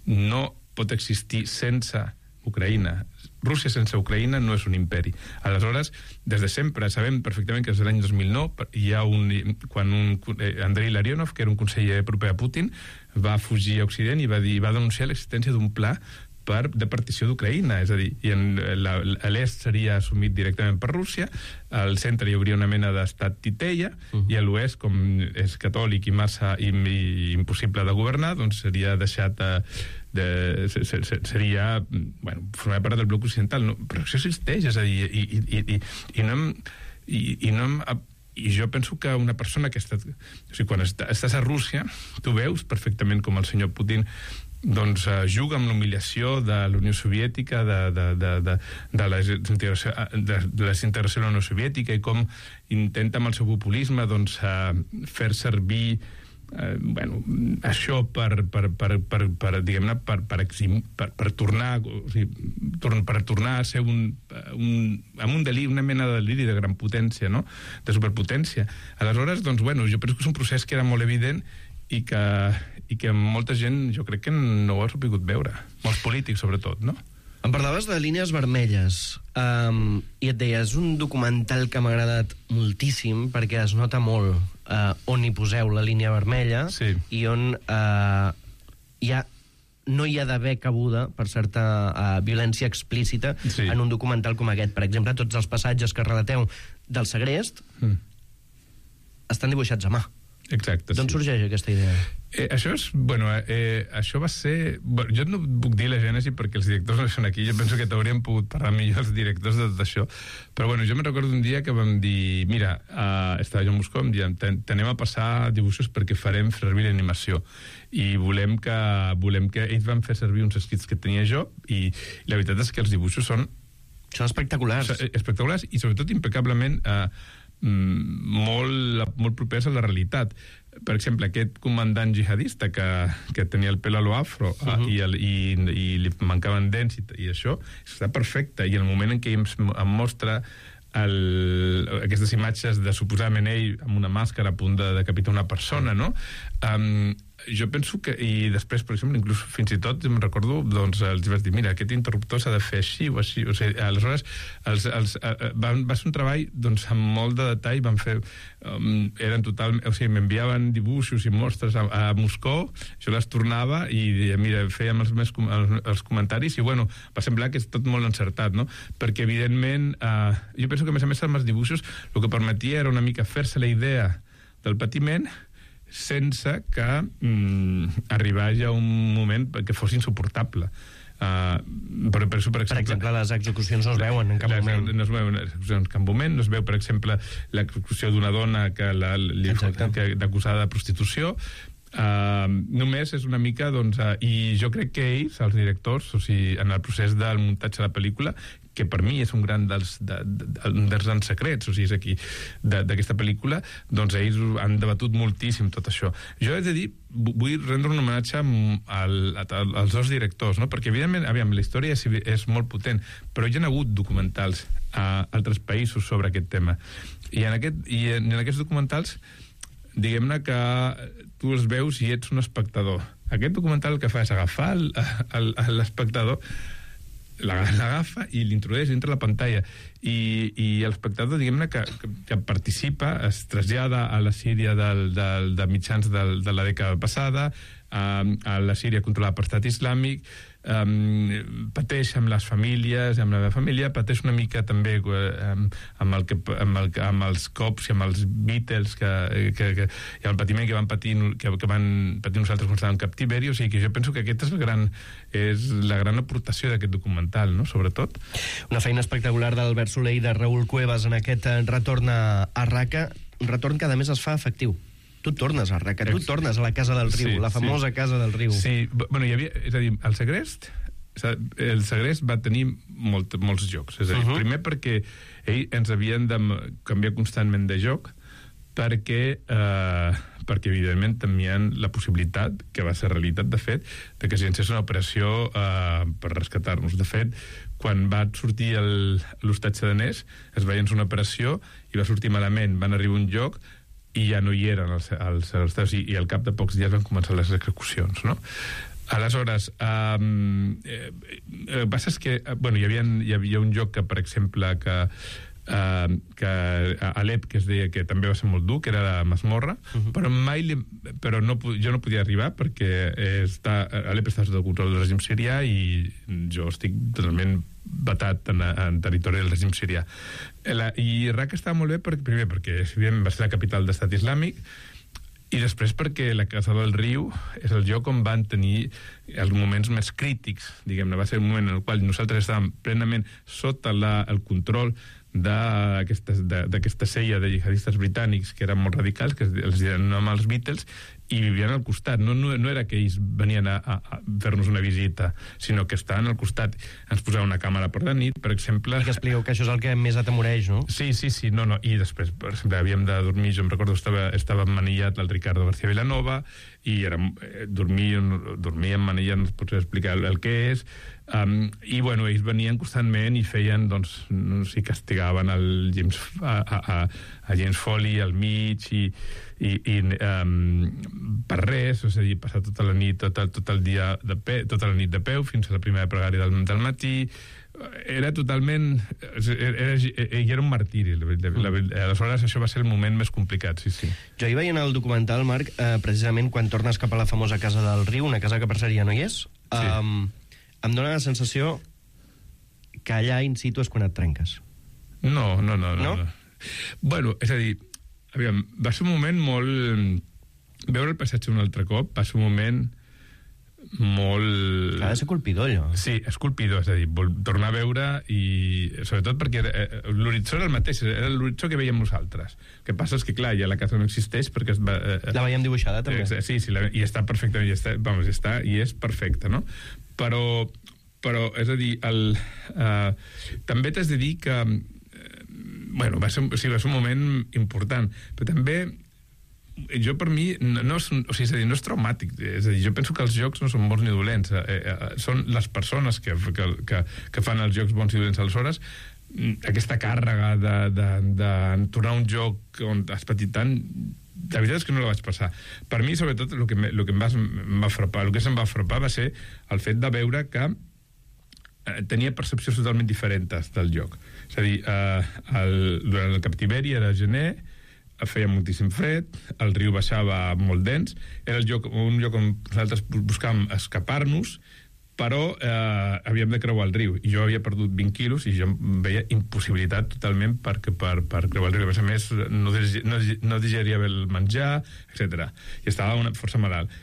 [SPEAKER 8] no pot existir sense Ucraïna. Rússia sense Ucraïna no és un imperi. Aleshores, des de sempre, sabem perfectament que des de l'any dos mil nou hi ha un... quan un, eh, Andrei Larionov, que era un conseller proper a Putin, va fugir a Occident i va, dir, va denunciar l'existència d'un pla per, de partició d'Ucraïna, és a dir, i en, la, l'est seria assumit directament per Rússia, al centre hi hauria una mena d'estat titella, uh-huh. i a l'oest, com és catòlic i massa i, i impossible de governar, doncs seria deixat a, de, se, se, seria, bueno, formar part del bloc occidental, no? Però això existeix, és a dir, i, i, i, i no hem... I, i no hem I jo penso que una persona que està... O sigui, quan estàs a Rússia, tu veus perfectament com el senyor Putin doncs uh, juga amb l'humiliació de la Unió Soviètica, de, de, de, de, de, la desintegració, de, de la desintegració de la Unió Soviètica, i com intenta amb el seu populisme doncs, uh, fer servir uh, bueno, això per, per, per, per, per diguem-ne, per, per, exim, per, per tornar o sigui, tor per tornar a ser un, un, amb un deliri, una mena de deliri de gran potència, no? De superpotència. Aleshores, doncs, bueno, jo penso que és un procés que era molt evident i que, i que molta gent, jo crec que no ho ha sabut veure. Molts polítics, sobretot, no?
[SPEAKER 6] Em parlaves de línies vermelles, um, i et deia, és un documental que m'ha agradat moltíssim, perquè es nota molt uh, on hi poseu la línia vermella, sí. I on uh, hi ha, no hi ha d'haver cabuda per certa uh, violència explícita, sí. En un documental com aquest. Per exemple, tots els passatges que relateu del segrest mm. estan dibuixats a mà.
[SPEAKER 8] Exacte.
[SPEAKER 6] D'on
[SPEAKER 8] sí.
[SPEAKER 6] sorgeix aquesta idea?
[SPEAKER 8] Eh, això és, bueno, eh, això va ser... Bueno, jo no puc dir la gènesi perquè els directors no són aquí, jo penso que t'haurien pogut parlar millor els directors de tot això, però bueno, jo me'n recordo un dia que vam dir, mira, uh, estava jo a Moscou, em diem, t'anem a passar dibuixos perquè farem servir l'animació, i volem que, volem que ells van fer servir uns escrits que tenia jo, i la veritat és que els dibuixos són...
[SPEAKER 6] Són espectaculars.
[SPEAKER 8] Espectaculars, i sobretot impecablement... Uh, molt, molt propers a la realitat. Per exemple, aquest comandant jihadista que, que tenia el pèl a lo afro, uh-huh. i, el, i, i li mancaven dents i, i això, està perfecte, i el moment en què em, em mostra el, aquestes imatges de suposadament ell amb una màscara a punt de decapitar una persona, no? Um, jo penso que, i després, per exemple, inclús fins i tot, em recordo, doncs, els vaig dir, mira, aquest interruptor s'ha de fer així o així, o sigui, aleshores, els, els, uh, van, va ser un treball, doncs, amb molt de detall, van fer, um, eren total, o sigui, m'enviaven dibuixos i mostres a, a Moscou, jo les tornava i, mira, fèiem els, més, els, els comentaris i, bueno, va semblar que és tot molt encertat, no? Perquè, evidentment, uh, jo penso que, a més a més, amb els dibuixos, el que permetia era una mica fer-se la idea del patiment sense que mm, arribés a un moment que fos insuportable. Uh, per, per, per, exemple,
[SPEAKER 6] per exemple, les execucions no es veuen en cap
[SPEAKER 8] les,
[SPEAKER 6] moment.
[SPEAKER 8] No es veuen les execucions en cap moment, no es veu, per exemple, l'execució d'una dona que la, li, que, d'acusada de prostitució. Uh, només és una mica, doncs, uh, i jo crec que ells, els directors, o sigui, en el procés del muntatge de la pel·lícula, que per mi és un gran dels, de, de, de, dels grans secrets, o sigui, és aquí, d'aquesta pel·lícula, doncs ells han debatut moltíssim tot això. Jo he de dir, vull rendre un homenatge al, als dos directors, no? Perquè, evidentment, aviam, la història és, és molt potent, però hi ha hagut documentals a altres països sobre aquest tema. I en, aquest, i en, en aquests documentals, diguem-ne que tu els veus i ets un espectador. Aquest documental el que fa és agafar l'espectador, l'agafa i l'introdueix dintre la pantalla i, i l'espectador, diguem-ne, que, que participa, es trasllada a la Síria del, del, de mitjans del, de la dècada passada, a, a la Síria controlada per Estat Islàmic, um, pateix amb les famílies, amb la meva família, pateix una mica també um, amb, el que, amb, el, amb els cops i amb els Beatles que, que, que, i el patiment que van patir, que, que van patir nosaltres quan estàvem en captiveri. O sigui que jo penso que aquesta és la gran, és la gran aportació d'aquest documental, no? Sobretot.
[SPEAKER 6] Una feina espectacular d'Albert Soler i de Raül Cuevas en aquest retorn a, a Raca, un retorn que a més es fa efectiu. Tu tornes a Raca, tu tornes a la Casa del Riu, sí, la famosa sí. Casa del Riu.
[SPEAKER 8] Sí, bueno, hi havia, és a dir, el Segrest, el Segrest va tenir molt, molts jocs. És a dir, uh -huh. primer perquè ell ens havien de canviar constantment de joc, perquè, eh, perquè evidentment tenien la possibilitat, que va ser realitat de fet, de que s'iniciés una operació eh, per rescatar-nos. De fet, quan va sortir l'hostatge danès, es veien una operació i va sortir malament, van arribar a un lloc i ja no hi eren els, els, els, els i, i al cap de pocs dies van començar les execucions, no? Aleshores, um, eh, el que passa és que, bueno, hi havia, hi havia un joc que, per exemple, que Uh, que a Alep, que es deia que també va ser molt dur, que era la masmorra, uh -huh. però mai li, però no, jo no podia arribar perquè està, Alep està sota el control del règim sirià i jo estic totalment batat en, en territori del règim sirià. La, I Raca estava molt bé perquè, primer perquè va ser la capital d'Estat Islàmic i després perquè la Casa del Riu és el lloc on van tenir els moments més crítics, diguem-ne. Va ser un moment en el qual nosaltres estàvem plenament sota la, el control d'aquesta sella de jihadistes britànics que eren molt radicals, que els deien amb els Beatles, i vivien al costat. No, no, no era que ells venien a, a, a fer-nos una visita, sinó que estaven al costat. Ens posaven una càmera per la nit, per exemple...
[SPEAKER 6] I que expliqueu que això és el que més atemoreix, no?
[SPEAKER 8] Sí, sí, sí. No, no. I després, per exemple, havíem de dormir, jo em recordo, estava, estava emmanillat el Ricardo García Vilanova, i era, eh, dormir, dormir emmanillat, no es pot explicar el, el que és. Um, i bueno, ells venien constantment i feien, doncs, no sé, castigaven el James, a, a, a James Foley al mig i, i, i um, per res, és a dir, passar tota la nit, tot el, tot el dia de peu, tota la nit de peu fins a la primera pregària del, del matí. Era totalment... Era, era, era un martiri. La, la, la, aleshores, això va ser el moment més complicat, sí, sí.
[SPEAKER 6] Jo hi veia en el documental, Marc, eh, precisament quan tornes cap a la famosa Casa del Riu, una casa que per cert ja no hi és, sí. um, em dóna la sensació que allà in situ és quan et trenques.
[SPEAKER 8] No, no, no. no, no? no. Bueno, és a dir, aviam, va ser un moment molt... Veure el paisatge un altre cop va ser un moment molt...
[SPEAKER 6] Ha de ser colpidor, allò.
[SPEAKER 8] Sí, és colpidor, és a dir, tornar a veure i... Sobretot perquè l'horitzó era el mateix, era l'horitzó que veiem nosaltres. El que passa és que, clar, ja la casa no existeix perquè... Es va, eh,
[SPEAKER 6] la veiem dibuixada, també.
[SPEAKER 8] Sí, sí, la, i està perfectament, i està, vamos, està, i és perfecta, no? Però, però és a dir, el, eh, també t'has de dir que... Eh, bueno, va ser, sí, va ser un moment important, però també... Jo, per mi, no, no, és, o sigui, és a dir, no és traumàtic. És a dir, jo penso que els jocs no són bons ni dolents. Eh, eh, són les persones que, que, que, que fan els jocs bons i dolents. Aleshores, aquesta càrrega de, de, de tornar a un joc on has patit tant, la veritat és que no la vaig passar. Per mi, sobretot, el que, me, el que em va, em va frapar, el que se'm va frapar va ser el fet de veure que eh, tenia percepcions totalment diferents del joc. És a dir, eh, el, durant el captiveri era gener, feia moltíssim fred, el riu baixava molt dens, era el lloc, un lloc on nosaltres buscàvem escapar-nos, però eh, havíem de creuar el riu, i jo havia perdut vint quilos i jo em veia impossibilitat totalment per, per, per creuar el riu. A més, no, no, no digeria bé el menjar, etcètera. I estava una, força malalt.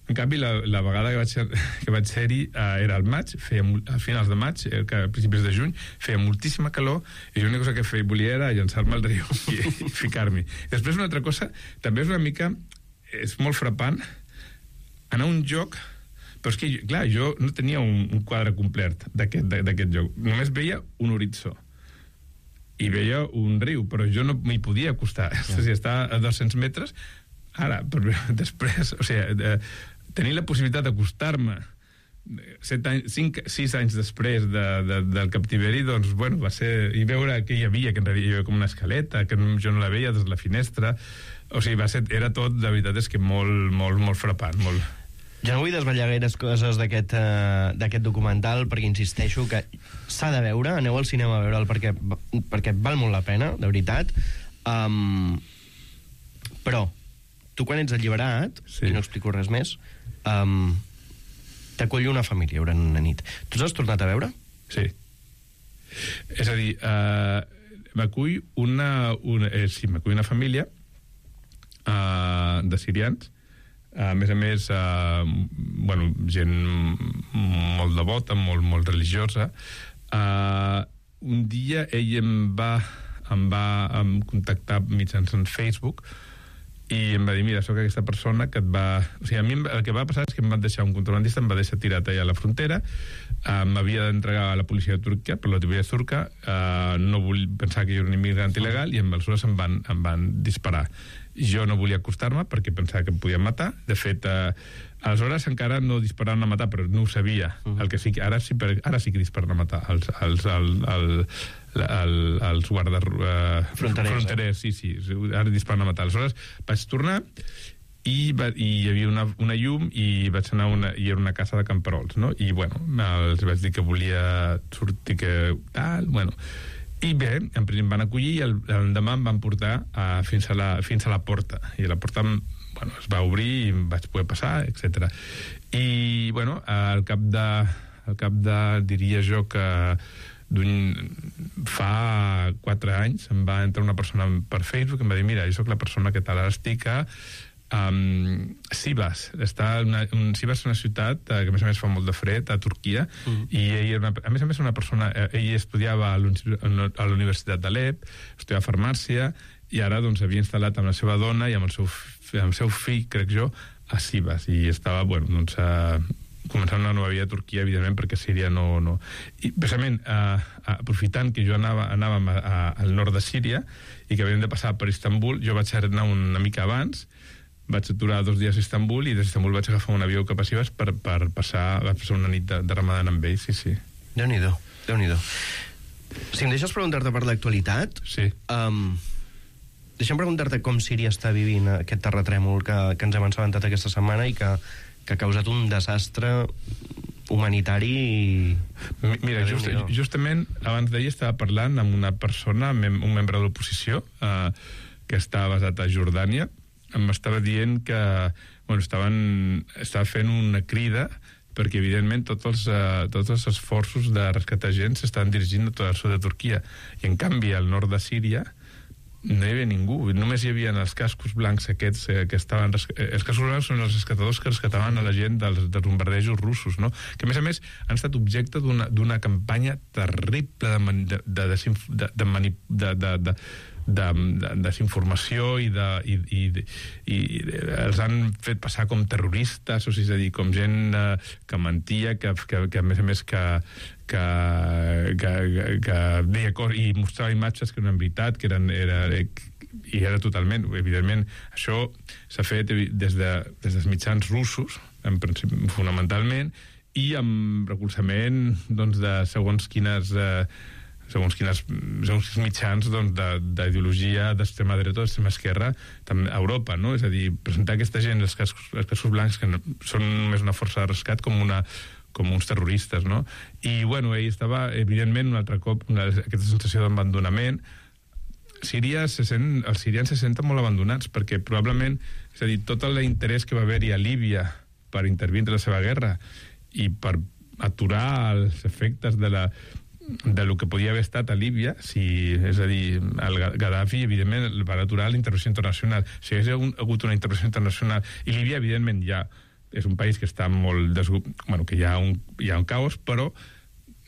[SPEAKER 8] En canvi, la, la vegada que vaig, ser, que vaig ser-hi eh, era al maig, feia, a finals de maig, eh, a principis de juny, feia moltíssima calor, i l'única cosa que feia, volia era llançar-me al riu i, i ficar-m'hi. Després, una altra cosa, també és una mica, és molt frapant, anar a un joc, però és que, clar, jo no tenia un, un quadre complet d'aquest joc, només veia un horitzó, i veia un riu, però jo no m'hi podia acostar. Ja. És a dir, està a dos-cents metres, ara, però després, o sigui, eh, tenir la possibilitat d'acostar-me set anys, cinc, sis anys després de, de, del captiveri, doncs, bueno, va ser... I veure què hi havia, que en realitat hi havia com una escaleta, que jo no la veia des de la finestra. O sigui, va ser, era tot, la veritat és que molt, molt, molt frapant, molt...
[SPEAKER 6] Jo no vull desvetllar gaires coses d'aquest uh, d'aquest documental, perquè insisteixo que s'ha de veure, aneu al cinema a veure'l perquè, perquè val molt la pena, de veritat. Um, però, tu quan ets alliberat, sí. I no explico res més, um, t'acoll una família durant una nit. Tu els has tornat a veure?
[SPEAKER 8] Sí. És a dir, uh, m'acull una, una, eh, sí, m'acull una família uh, de sirians, a més a més, uh, bueno, gent molt devota, molt, molt religiosa. Uh, un dia ell em va, em va em contactar mitjançant Facebook i em va dir, mira, sóc aquesta persona que et va... O sigui, a mi el que va passar és que em van deixar un contrabandista, em va deixar tirat allà a la frontera, uh, m'havia d'entregar a la policia de Turquia, per l'autoritat turca, uh, no vull pensar que jo era un immigrant il·legal, i aleshores em van, em van disparar. Jo no volia acostar-me perquè pensava que em podien matar. De fet, eh, aleshores encara no disparaven a matar, però no ho sabia. Uh-huh. El que sí que ara sí, per, ara sí que disparen a matar els, els, els, els, els, els guardes eh,
[SPEAKER 6] fronterers,
[SPEAKER 8] fronterers eh? sí, sí, ara disparen a matar. Aleshores vaig tornar i, va, i hi havia una, una llum i vaig anar a una, i era una casa de camperols, no? I bueno, els vaig dir que volia sortir, que tal, bueno... I bé, en principi em van acollir i el, el demà em van portar a, fins, a la, fins a la porta. I la porta, bueno, es va obrir i em vaig poder passar, etcètera. I, bueno, al cap de, al cap de, diria jo que d'un, fa quatre anys em va entrar una persona per Facebook i em va dir, mira, jo sóc la persona que tal, ara estic a Um, Sivas. Està una, un, Sivas és una ciutat uh, que a més a més fa molt de fred a Turquia, mm. i ell era una, a més a més una persona, eh, ell estudiava a la Universitat d'Alep, estudiava farmàcia, i ara doncs havia instal·lat amb la seva dona i amb el seu, amb el seu fill, crec jo, a Sivas, i estava, bueno, doncs uh, començant una nova vida a Turquia, evidentment, perquè Síria no... no... I precisament, uh, aprofitant que jo anava, anàvem a, a, al nord de Síria i que havíem de passar per Istanbul, jo vaig anar una mica abans, vaig aturar dos dies a Istanbul i des d'Istanbul vaig agafar un avió cap a Sivas per, per passar, passar una nit de, de Ramadan amb ells, sí, sí.
[SPEAKER 6] Déu-n'hi-do, Déu-n'hi-do. Si em deixes preguntar-te per l'actualitat,
[SPEAKER 8] sí.
[SPEAKER 6] um, deixa'm preguntar-te com Síria està vivint aquest terratrèmol que, que ens hem assabentat aquesta setmana i que, que ha causat un desastre humanitari i...
[SPEAKER 8] Mira, just, justament abans d'ahir estava parlant amb una persona, mem un membre de l'oposició, eh, que està basat a Jordània, m'estava dient que bueno, estaven, estava fent una crida perquè, evidentment, tots els, uh, tots els esforços de rescatar gent s'estan dirigint a tot el sud de Turquia. I, en canvi, al nord de Síria no hi havia ningú. Només hi havia els cascos blancs aquests eh, que estaven... Els cascos blancs són els rescatadors que rescataven a la gent dels, dels bombardejos russos, no? Que, a més a més, han estat objecte d'una campanya terrible de, de, de, de, de, de, de, de de, de desinformació i, de, i, i, i els han fet passar com terroristes, o sigui, és a dir, com gent eh, que mentia, que, que, que a més a més que, que, que, que, que deia cor, i mostrava imatges que no eren veritat, que eren, era, i era totalment, evidentment, això s'ha fet des, de, des dels mitjans russos, en principi, fonamentalment, i amb recolzament doncs, de segons quines... Eh, segons quines, segons quins mitjans doncs, d'ideologia d'extrema dreta o d'extrema esquerra també a Europa, no? És a dir, presentar aquesta gent, els cascos, els cascos blancs, que no, són només una força de rescat, com una com uns terroristes, no? I, bueno, ell estava, evidentment, un altre cop, una, aquesta sensació d'abandonament. Síria se sent, els sirians se senten molt abandonats, perquè probablement, és a dir, tot l'interès que va haver-hi a Líbia per intervindre la seva guerra i per aturar els efectes de la de lo que podia haver estat a Líbia, si, és a dir, el Gaddafi, evidentment, va aturar la intervenció internacional. Si hagués hagut una intervenció internacional, i Líbia, evidentment, ja és un país que està molt desgu... bueno, que hi ha un, hi ha un caos, però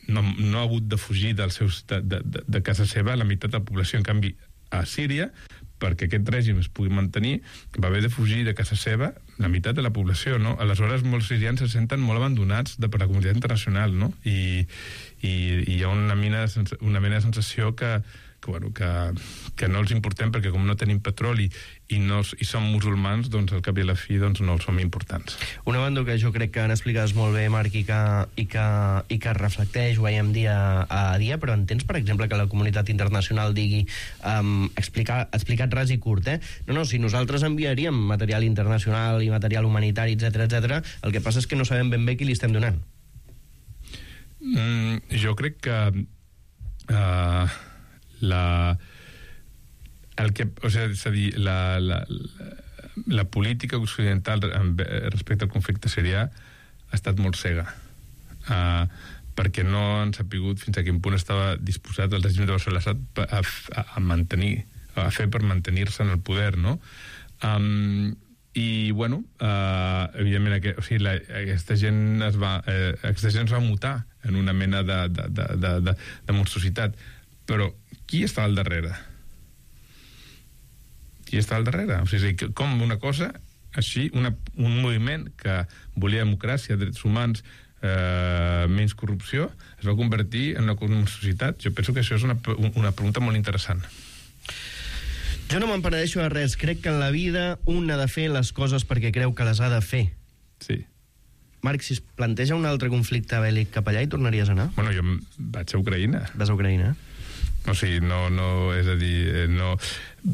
[SPEAKER 8] no, no ha hagut de fugir dels seus, de, de, de casa seva la meitat de la població. En canvi, a Síria, perquè aquest règim es pugui mantenir, va haver de fugir de casa seva la meitat de la població, no? Aleshores, molts sirians se senten molt abandonats de, per la comunitat internacional, no? I, i, i hi ha una mena, una mena de sensació que, que, bueno, que, que no els importem, perquè com no tenim petroli i, no, i som musulmans, doncs al cap i a la fi doncs, no els som importants.
[SPEAKER 6] Una banda que jo crec que han explicat molt bé, Marc, i que, i que, i que reflecteix, ho veiem dia a dia, però entens, per exemple, que la comunitat internacional digui, um, explicar, explicat ras i curt, eh? No, no, si nosaltres enviaríem material internacional i material humanitari, etcètera, etcètera, el que passa és que no sabem ben bé qui li estem donant.
[SPEAKER 8] Mm, jo crec que uh, la... el que, o sigui, és a dir, la, la, la política occidental respecte al conflicte sirià ha estat molt cega, uh, perquè no han sapigut fins a quin punt estava disposat el règim de Bashar al-Assad a, a, a mantenir, a fer per mantenir-se en el poder, no? Um, i, bueno, uh, evidentment, aquest, o sigui, la, aquesta gent es va, eh, aquesta gent es va mutar en una mena de, de, de, de, de, de monstruositat. Però qui està al darrere? Qui està al darrere? O sigui, com una cosa així, una, un moviment que volia democràcia, drets humans, eh, menys corrupció, es va convertir en una monstruositat? Jo penso que això és una, una pregunta molt interessant.
[SPEAKER 6] Jo no me'n penedeixo de res. Crec que en la vida un ha de fer les coses perquè creu que les ha de fer.
[SPEAKER 8] Sí.
[SPEAKER 6] Marc, si es planteja un altre conflicte bèl·lic cap allà, hi tornaries a anar?
[SPEAKER 8] Bueno, jo vaig a Ucraïna.
[SPEAKER 6] Vas a Ucraïna, eh?
[SPEAKER 8] O sigui, no, no, és a dir, no...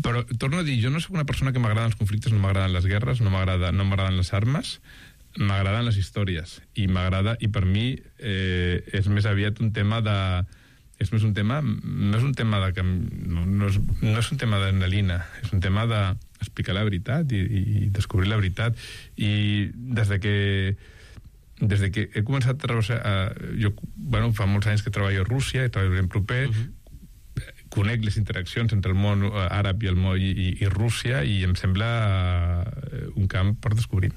[SPEAKER 8] Però, torno a dir, jo no soc una persona que m'agraden els conflictes, no m'agraden les guerres, no m'agrada, no m'agraden les armes, m'agraden les històries, i m'agrada, i per mi eh, és més aviat un tema de... És més un tema... No és un tema de... No, no, és, no és un tema d'adrenalina, és un tema d'explicar la veritat i, i descobrir la veritat. I des de que... Des de que he començat a treballar... A, jo, bueno, fa molts anys que treballo a Rússia, i treballo ben proper, uh -huh. Conec les interaccions entre el món àrab i el món i, i, i Rússia, i em sembla un camp per descobrir.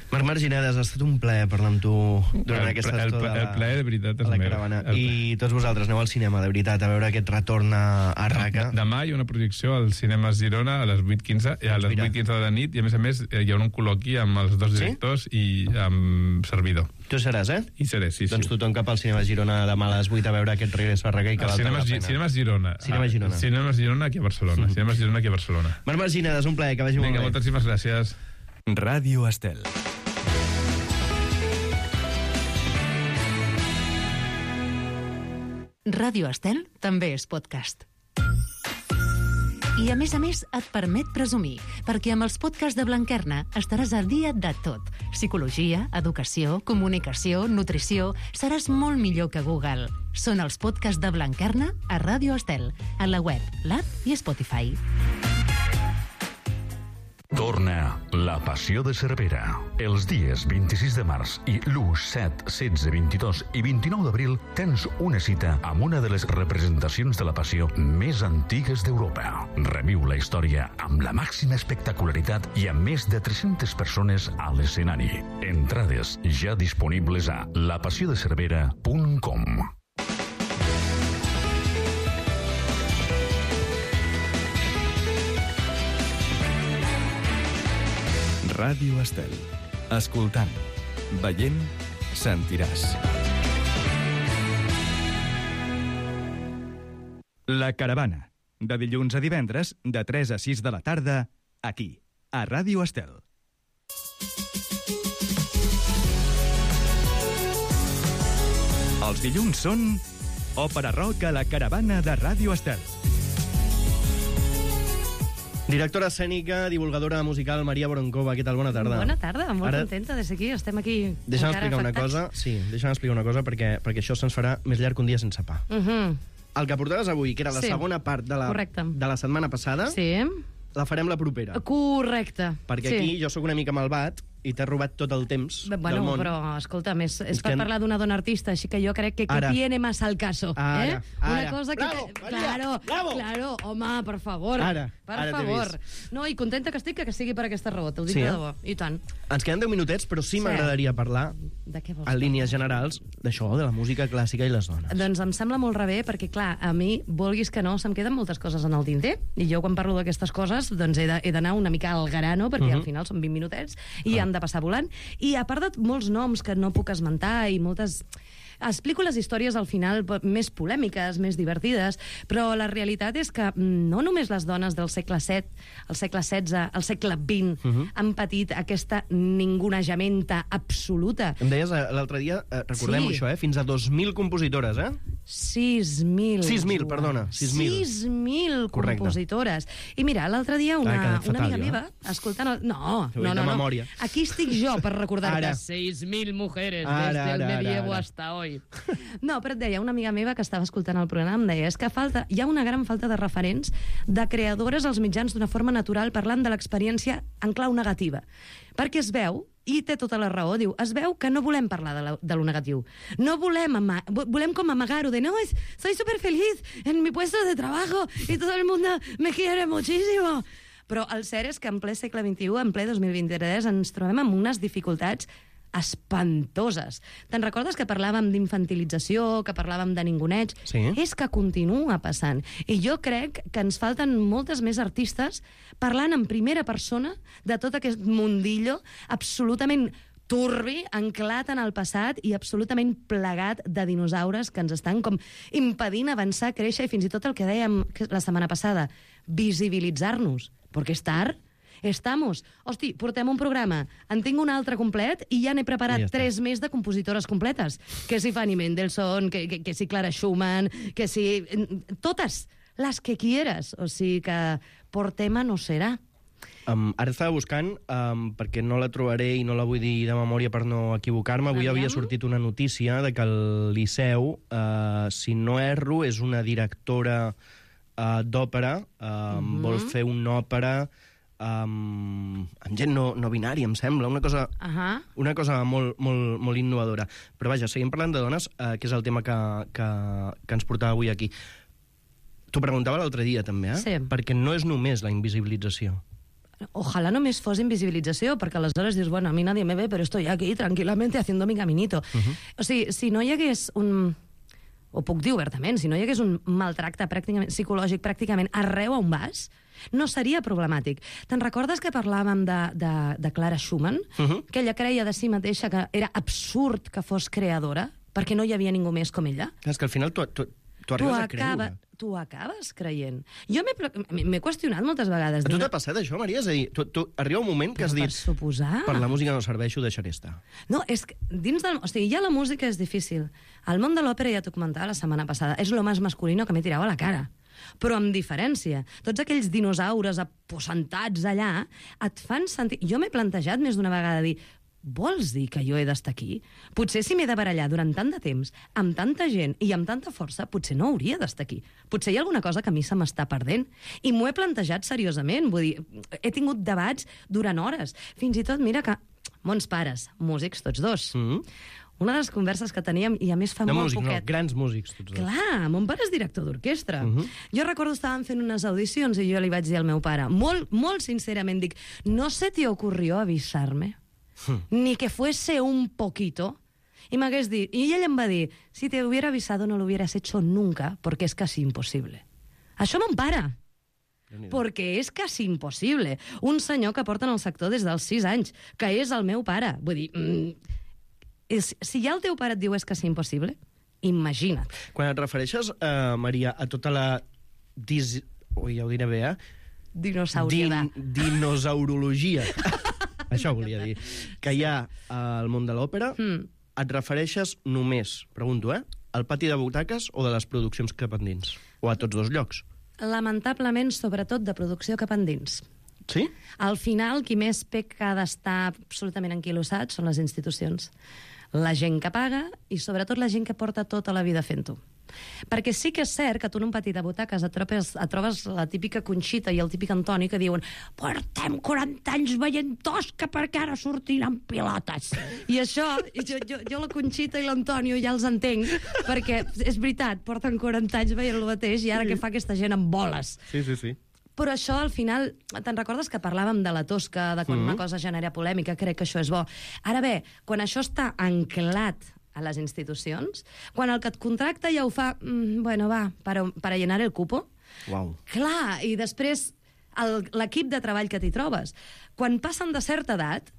[SPEAKER 6] Marc Marginedes, ha estat un plaer parlar amb tu durant
[SPEAKER 8] el,
[SPEAKER 6] aquesta
[SPEAKER 8] el,
[SPEAKER 6] estona.
[SPEAKER 8] El, el plaer de veritat és meu.
[SPEAKER 6] I tots vosaltres aneu al cinema, de veritat, a veure aquest retorn a, a Raqqa.
[SPEAKER 8] Demà hi ha una projecció al Cinema Girona a les vuit quinze, a les vuit quinze de la nit, i a més a més hi haurà un col·loqui amb els dos directors sí? i amb servidor.
[SPEAKER 6] Tu seràs, eh?
[SPEAKER 8] I seré, sí,
[SPEAKER 6] doncs
[SPEAKER 8] sí.
[SPEAKER 6] tothom cap al Cinema Girona demà a les vuit a veure aquest regreso a Raqqa i que val
[SPEAKER 8] Cinema,
[SPEAKER 6] la pena.
[SPEAKER 8] Cinema Girona.
[SPEAKER 6] Cinema Girona.
[SPEAKER 8] Ah, Cinema Girona aquí a Barcelona. Mm. Cinema Girona aquí a Barcelona.
[SPEAKER 6] Marc Marginedes, un plaer, que vagi
[SPEAKER 8] Vinga,
[SPEAKER 6] molt bé.
[SPEAKER 8] moltíssimes gràcies.
[SPEAKER 1] Ràdio Estel.
[SPEAKER 3] Ràdio Estel també és podcast. I a més a més et permet presumir, perquè amb els podcasts de Blanquerna estaràs al dia de tot. Psicologia, educació, comunicació, nutrició... Seràs molt millor que Google. Són els podcasts de Blanquerna a Ràdio Estel, a la web, l'app i Spotify.
[SPEAKER 11] Torna La Passió de Cervera. Els dies vint-i-sis de març i l'u, set, setze, vint-i-dos i vint-i-nou d'abril tens una cita amb una de les representacions de la Passió més antigues d'Europa. Reviu la història amb la màxima espectacularitat i amb més de tres-centes persones a l'escenari. Entrades ja disponibles a la passió de cervera punt com.
[SPEAKER 1] Ràdio Estel. Escoltant, veient, sentiràs. La Caravana. De dilluns a divendres, de tres a sis de la tarda, aquí, a Ràdio Estel. Els dilluns són Òpera rock a la caravana de Ràdio Estel.
[SPEAKER 6] Directora escènica, divulgadora musical, Maria Boronkova. Què tal? Bona tarda.
[SPEAKER 12] Bona tarda, molt
[SPEAKER 6] Ara...
[SPEAKER 12] contenta de ser aquí. Estem aquí
[SPEAKER 6] Deixa'm
[SPEAKER 12] encara
[SPEAKER 6] explicar una
[SPEAKER 12] afectats.
[SPEAKER 6] cosa. Sí, deixa'm explicar una cosa perquè, perquè això se'ns farà més llarg que un dia sense pa.
[SPEAKER 12] Uh -huh.
[SPEAKER 6] El que portaves avui, que era la
[SPEAKER 12] Sí.
[SPEAKER 6] segona part de la,
[SPEAKER 12] Correcte.
[SPEAKER 6] de la setmana passada,
[SPEAKER 12] Sí.
[SPEAKER 6] la farem la propera.
[SPEAKER 12] Correcte.
[SPEAKER 6] Perquè
[SPEAKER 12] sí.
[SPEAKER 6] aquí jo sóc una mica malvat i t'he robat tot el temps
[SPEAKER 12] Bueno,
[SPEAKER 6] del món.
[SPEAKER 12] però, escolta, és, és
[SPEAKER 6] És
[SPEAKER 12] per
[SPEAKER 6] que-
[SPEAKER 12] parlar d'una dona artista, així que jo crec que, que
[SPEAKER 6] Ara.
[SPEAKER 12] tiene más al caso.
[SPEAKER 6] Ara,
[SPEAKER 12] eh? Una
[SPEAKER 6] ara.
[SPEAKER 12] cosa que...
[SPEAKER 6] Bravo, Maria,
[SPEAKER 12] claro,
[SPEAKER 6] bravo.
[SPEAKER 12] claro, home, per favor.
[SPEAKER 6] Ara,
[SPEAKER 12] per
[SPEAKER 6] ara t'he
[SPEAKER 12] favor.
[SPEAKER 6] vist.
[SPEAKER 12] No, i contenta que estic que, que sigui per aquesta raó, te'l dic
[SPEAKER 6] Sí,
[SPEAKER 12] de
[SPEAKER 6] eh?
[SPEAKER 12] debò. I tant.
[SPEAKER 6] Ens queden deu minutets, però sí,
[SPEAKER 12] Sí.
[SPEAKER 6] m'agradaria parlar,
[SPEAKER 12] De què vols
[SPEAKER 6] en línies generals, d'això, de la música clàssica i les dones.
[SPEAKER 12] Doncs em sembla molt rebé, perquè, clar, a mi, vulguis que no, se'm queden moltes coses en el tinter, i jo, quan parlo d'aquestes coses, doncs he de- he d'anar una mica al grano, perquè
[SPEAKER 6] Mhm.
[SPEAKER 12] al final són vint minutets, i han de passar volant. I a part de molts noms que no puc esmentar, i moltes... Explico les històries al final p- més polèmiques, més divertides, però la realitat és que mm, no només les dones del segle set, el segle setze, el segle vint,
[SPEAKER 6] Mhm.
[SPEAKER 12] han patit aquesta ningunejamenta absoluta.
[SPEAKER 6] Em deies eh, l'altre dia, eh, recordem-ho
[SPEAKER 12] Sí.
[SPEAKER 6] això, eh? Fins a dos mil compositores, eh?
[SPEAKER 12] sis mil.
[SPEAKER 6] sis mil,
[SPEAKER 12] Joan.
[SPEAKER 6] perdona, sis mil.
[SPEAKER 12] sis mil
[SPEAKER 6] Correcte.
[SPEAKER 12] compositores. I mira, l'altre dia
[SPEAKER 6] Ah, he
[SPEAKER 12] una,
[SPEAKER 6] quedat
[SPEAKER 12] una
[SPEAKER 6] fatal,
[SPEAKER 12] amiga
[SPEAKER 6] jo, eh?
[SPEAKER 12] meva, escoltant... El... No,
[SPEAKER 6] Ho he dit
[SPEAKER 12] no, no,
[SPEAKER 6] de
[SPEAKER 12] no.
[SPEAKER 6] memòria.
[SPEAKER 12] Aquí estic jo per recordar-te.
[SPEAKER 6] Ara.
[SPEAKER 12] seis mil mujeres
[SPEAKER 6] Ara,
[SPEAKER 12] desde el
[SPEAKER 6] ara,
[SPEAKER 12] medievo
[SPEAKER 6] ara.
[SPEAKER 12] hasta hoy. No, però et deia, una amiga meva que estava escoltant el programa em deia és que falta, hi ha una gran falta de referents de creadores als mitjans d'una forma natural parlant de l'experiència en clau negativa. Perquè es veu, i té tota la raó, diu, es veu que no volem parlar de, la, de lo negatiu. No volem, ama vo- volem com amagar-ho de no, es, soy súper feliz en mi puesto de trabajo y todo el mundo me quiere muchísimo. Però el cert és que en ple segle vint-i-u, en ple dos mil vint-i-tres, ens trobem amb unes dificultats espantoses. Te'n recordes que parlàvem d'infantilització, que parlàvem de ninguneig?
[SPEAKER 6] Sí.
[SPEAKER 12] És que continua passant. I jo crec que ens falten moltes més artistes parlant en primera persona de tot aquest mundillo absolutament turbi, anclat en el passat i absolutament plegat de dinosaures que ens estan com impedint avançar, créixer i fins i tot el que dèiem la setmana passada, visibilitzar-nos. Perquè és tard. Estamos. Hosti, portem un programa, en tinc un altre complet i ja n'he preparat
[SPEAKER 6] I ja està.
[SPEAKER 12] tres més de compositores completes. Que si Fanny Mendelssohn, que, que, que si Clara Schumann, que si... Totes, les que quieras. O sigui que por tema no serà.
[SPEAKER 6] Um, ara estava buscant, um, perquè no la trobaré i no la vull dir de memòria per no equivocar-me. Avui
[SPEAKER 12] Aviam.
[SPEAKER 6] havia sortit una notícia de que el Liceu, uh, si no erro, és una directora uh, d'òpera, um,
[SPEAKER 12] Mhm.
[SPEAKER 6] vol fer una òpera um, amb gent no, no binària, em sembla, una cosa...
[SPEAKER 12] Ahà.
[SPEAKER 6] Una cosa molt, molt, molt innovadora. Però vaja, seguim parlant de dones, eh, que és el tema que, que, que ens portava avui aquí. T'ho preguntava l'altre dia, també, eh?
[SPEAKER 12] Sí.
[SPEAKER 6] Perquè no és només la invisibilització.
[SPEAKER 12] Ojalá només fos invisibilització, perquè aleshores dius, bueno, a mi nadie me ve, però estoy aquí tranquilamente haciendo mi caminito.
[SPEAKER 6] Mhm.
[SPEAKER 12] O sigui, si no hi hagués un... O puc dir obertament, si no hi hagués un maltracte pràcticament, psicològic pràcticament arreu on vas, no seria problemàtic. Te'n recordes que parlàvem de, de, de Clara Schumann?
[SPEAKER 6] Mhm.
[SPEAKER 12] Que ella creia de si mateixa que era absurd que fos creadora, perquè no hi havia ningú més com ella?
[SPEAKER 6] És que al final tu, tu, tu
[SPEAKER 12] Tu,
[SPEAKER 6] arribes a
[SPEAKER 12] acaba,
[SPEAKER 6] creure.
[SPEAKER 12] tu acabes creient. Jo m'he pla- m'he qüestionat moltes vegades.
[SPEAKER 6] A tu
[SPEAKER 12] dic,
[SPEAKER 6] t'ha passat això, Maria? És a dir, tu, tu, arriba un moment que has
[SPEAKER 12] Per
[SPEAKER 6] dit...
[SPEAKER 12] suposar.
[SPEAKER 6] Per la música no serveixo, deixaré estar.
[SPEAKER 12] No, és que dins del... O sigui, ja la música és difícil. El món de l'òpera, ja t'ho comentava la setmana passada, és lo més masculino que m'he tirat a la cara. Però amb diferència. Tots aquells dinosaures aposentats allà et fan sentir... Jo m'he plantejat més d'una vegada dir vols dir que jo he d'estar aquí? Potser si m'he de barallar durant tant de temps, amb tanta gent i amb tanta força, potser no hauria d'estar aquí. Potser hi ha alguna cosa que a mi se m'està perdent. I m'ho he plantejat seriosament. Vull dir, he tingut debats durant hores. Fins i tot, mira que mons pares, músics tots dos,
[SPEAKER 6] Mm.
[SPEAKER 12] una de les converses que teníem, i a més fa
[SPEAKER 6] No
[SPEAKER 12] molt
[SPEAKER 6] músics, no,
[SPEAKER 12] poquet...
[SPEAKER 6] grans músics, tots dos.
[SPEAKER 12] Clar, mon pare és director d'orquestra.
[SPEAKER 6] Mhm.
[SPEAKER 12] Jo recordo estàvem fent unes audicions i jo li vaig dir al meu pare, molt, molt sincerament, dic, no se te ocurrió avisar-me? Ni que fuese un poquito. Y m'hagués dit, i ell em va dir, si te hubiera avisado no lo hubieras hecho nunca, porque es casi imposible. Això mon pare. Perquè és quasi impossible. Un senyor que porta en el sector des dels sis anys, que és el meu pare. Vull dir, mm, és, si ja el teu pare et diu és quasi impossible, imagina't.
[SPEAKER 6] Quan et refereixes, eh, Maria, a tota la... Dis... Ui, ja ho diré bé, eh?
[SPEAKER 12] Dinosauriada.
[SPEAKER 6] Din, dinosaurologia. Això volia dir. Que hi ha al món de l'òpera,
[SPEAKER 12] Mm.
[SPEAKER 6] et refereixes només, pregunto, eh? al pati de butaques o de les produccions cap endins? O a tots dos llocs?
[SPEAKER 12] Lamentablement, sobretot de producció cap endins.
[SPEAKER 6] Sí?
[SPEAKER 12] Al final, qui més peca d'estar absolutament enquilossat són les institucions. La gent que paga i, sobretot, la gent que porta tota la vida fent-ho. Perquè sí que és cert que tu en un pati de butaques et trobes, et trobes la típica Conxita i el típic Antoni que diuen portem quaranta anys veient Tosca perquè ara sortiran pilotes. I això, jo, jo, jo la Conxita i l'Antonio ja els entenc, perquè és veritat, porten quaranta anys veient el mateix i ara què fa aquesta gent amb boles?
[SPEAKER 6] Sí, sí, sí.
[SPEAKER 12] Però això, al final, te'n recordes que parlàvem de la Tosca, de quan mm-hmm. una cosa genera polèmica, crec que això és bo. Ara bé, quan això està anclat a les institucions, quan el que et contracta ja ho fa, mm, bueno, va, para, para llenar el cupo.
[SPEAKER 6] Uau.
[SPEAKER 12] Clar, i després l'equip de treball que t'hi trobes. Quan passen de certa edat,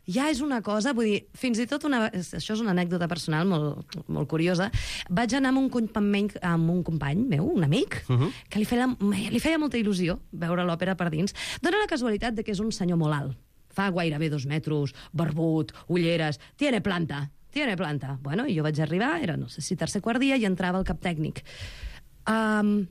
[SPEAKER 12] ja és una cosa, vull dir, fins i tot una... Això és una anècdota personal molt, molt curiosa. Vaig anar amb un company, amb un company meu, un amic, uh-huh. que li feia, li feia molta il·lusió veure l'òpera per dins. Dóna la casualitat de que és un senyor molt alt. Fa gairebé dos metres, barbut, ulleres, tiene planta. Tiene planta. Bueno, i jo vaig arribar, era, no sé si tercer quart dia, i entrava el cap tècnic. Um,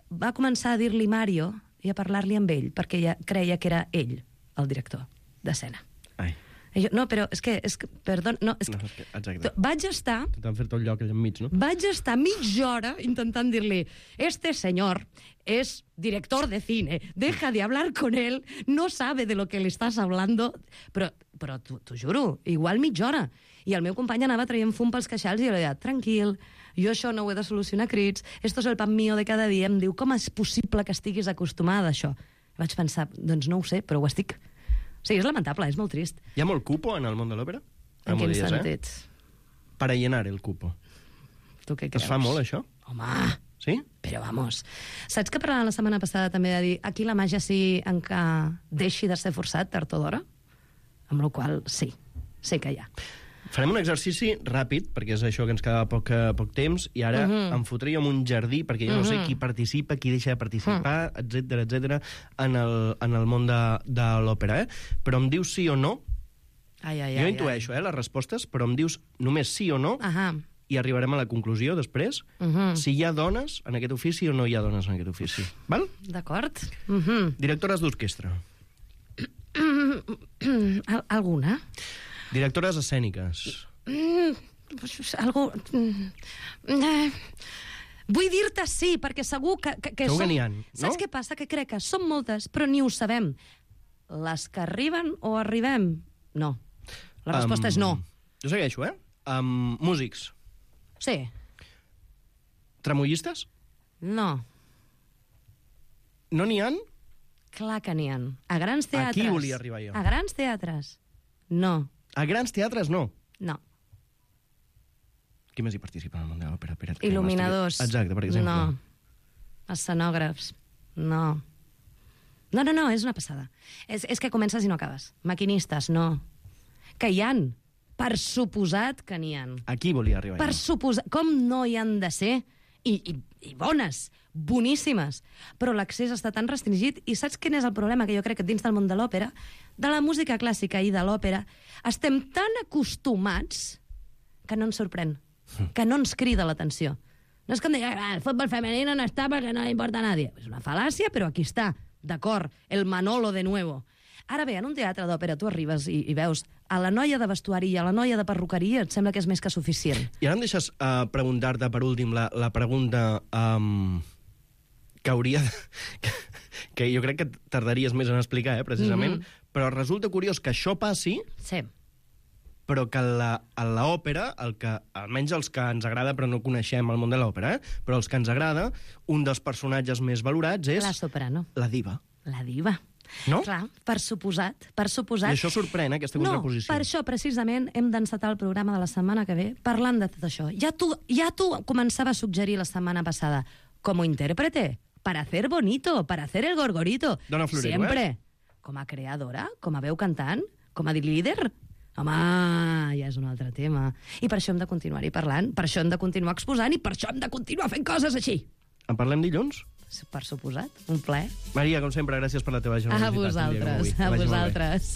[SPEAKER 12] va començar a dir-li Mario i a parlar-li amb ell, perquè ja creia que era ell, el director d'escena.
[SPEAKER 6] Ai.
[SPEAKER 12] I jo, no, però és que... És que perdó, no, és que,
[SPEAKER 6] no, és que exacte.
[SPEAKER 12] Vaig estar...
[SPEAKER 6] T'han fet tot el lloc allà enmig, no?
[SPEAKER 12] Vaig estar mitja hora intentant dir-li este senyor es director de cine, deja de hablar con él, no sabe de lo que le estás hablando, però, però t'ho juro, igual mitja hora. I el meu company anava traient fum pels queixals i jo li deia, tranquil, jo això no ho he de solucionar a crits, esto es el pan mío de cada dia. Em diu, com és possible que estiguis acostumada a això? Vaig pensar, doncs no ho sé, però ho estic. O sigui, és lamentable, és molt trist.
[SPEAKER 6] Hi ha molt cupo en el món de l'òpera?
[SPEAKER 12] En quin sentit?
[SPEAKER 6] Eh? Para llenar el cupo.
[SPEAKER 12] Tu què creus?
[SPEAKER 6] Es fa molt, això?
[SPEAKER 12] Home!
[SPEAKER 6] Sí?
[SPEAKER 12] Però vamos. Saps que parlant la setmana passada també de dir aquí la màgia sí en què deixi de ser forçat tard o d'hora? Amb la qual sí, sí que hi ha.
[SPEAKER 6] Farem un exercici ràpid, perquè és això que ens quedava poc, poc temps, i ara uh-huh. em fotria en un jardí, perquè jo no sé qui participa, qui deixa de participar, uh-huh. etcètera, etcètera, en el, en el món de, de l'òpera, eh? Però em dius sí o no.
[SPEAKER 12] Ai, ai,
[SPEAKER 6] jo
[SPEAKER 12] ai,
[SPEAKER 6] intueixo,
[SPEAKER 12] ai.
[SPEAKER 6] eh, les respostes, però em dius només sí o no,
[SPEAKER 12] uh-huh.
[SPEAKER 6] i arribarem a la conclusió després, uh-huh. si hi ha dones en aquest ofici o no hi ha dones en aquest ofici. Val?
[SPEAKER 12] D'acord. Uh-huh.
[SPEAKER 6] Directores d'orquestra.
[SPEAKER 12] Alguna?
[SPEAKER 6] Directores escèniques.
[SPEAKER 12] Mm, algú... Mm, vull dir-te sí, perquè segur que... que, que
[SPEAKER 6] segur
[SPEAKER 12] som...
[SPEAKER 6] que n'hi ha, no?
[SPEAKER 12] Saps què passa? Que crec que són moltes, però ni ho sabem. Les que arriben o arribem? No. La resposta um, és no.
[SPEAKER 6] Jo segueixo, eh? Um, músics.
[SPEAKER 12] Sí.
[SPEAKER 6] Tremollistes?
[SPEAKER 12] No.
[SPEAKER 6] No n'hi ha?
[SPEAKER 12] Clar que n'hi ha. A grans teatres.
[SPEAKER 6] Aquí volia arribar jo.
[SPEAKER 12] A grans teatres. No.
[SPEAKER 6] A grans teatres, no?
[SPEAKER 12] No.
[SPEAKER 6] Qui més hi participa en el món de l'òpera?
[SPEAKER 12] Il·luminadors.
[SPEAKER 6] Exacte, per exemple.
[SPEAKER 12] No. Escenògrafs. No. No, no, no, és una passada. És, és que comences i no acabes. Maquinistes, no. Que hi han. Per suposat que n'hi han.
[SPEAKER 6] Aquí volia arribar
[SPEAKER 12] per
[SPEAKER 6] jo.
[SPEAKER 12] Suposat... Com no hi han de ser? I, i, i bones, boníssimes. Però l'accés està tan restringit. I saps quin és el problema? Que jo crec que dins del món de l'òpera, de la música clàssica i de l'òpera, estem tan acostumats que no ens sorprèn, que no ens crida l'atenció. No és com dir, ah, el futbol femení no està perquè no li importa a nadie. És una fal·làcia, però aquí està. D'acord, el Manolo de nuevo. Ara bé, en un teatre d'òpera tu arribes i, i veus a la noia de vestuari i a la noia de perruqueria, et sembla que és més que suficient.
[SPEAKER 6] I ara em deixes uh, preguntar-te, per últim, la, la pregunta um, que hauria de... Que, que jo crec que tardaries més en explicar, eh, precisament, mm-hmm. però resulta curiós que això passi,
[SPEAKER 12] sí.
[SPEAKER 6] però que la, a l'òpera, el que, almenys els que ens agrada, però no coneixem el món de l'òpera, eh, però els que ens agrada, un dels personatges més valorats és...
[SPEAKER 12] La soprano.
[SPEAKER 6] La diva.
[SPEAKER 12] La diva.
[SPEAKER 6] No?
[SPEAKER 12] Clar, per suposat, per suposat.
[SPEAKER 6] I això sorprèn, eh, aquesta contraposició.
[SPEAKER 12] No, per això, precisament, hem d'encetar el programa de la setmana que ve parlant de tot això. Ja tu, ja tu començava a suggerir la setmana passada, com a intèrprete, para hacer bonito, para hacer el gorgorito.
[SPEAKER 6] Dona Florero,
[SPEAKER 12] Sempre.
[SPEAKER 6] eh?
[SPEAKER 12] Com a creadora, com a veu cantant, com a líder. Home, ja és un altre tema. I per això hem de continuar-hi parlant, per això hem de continuar exposant i per això hem de continuar fent coses així.
[SPEAKER 6] En parlem dilluns?
[SPEAKER 12] Per suposat, un plaer.
[SPEAKER 6] Maria, com sempre, gràcies per la teva generositat.
[SPEAKER 12] A vosaltres, a vosaltres.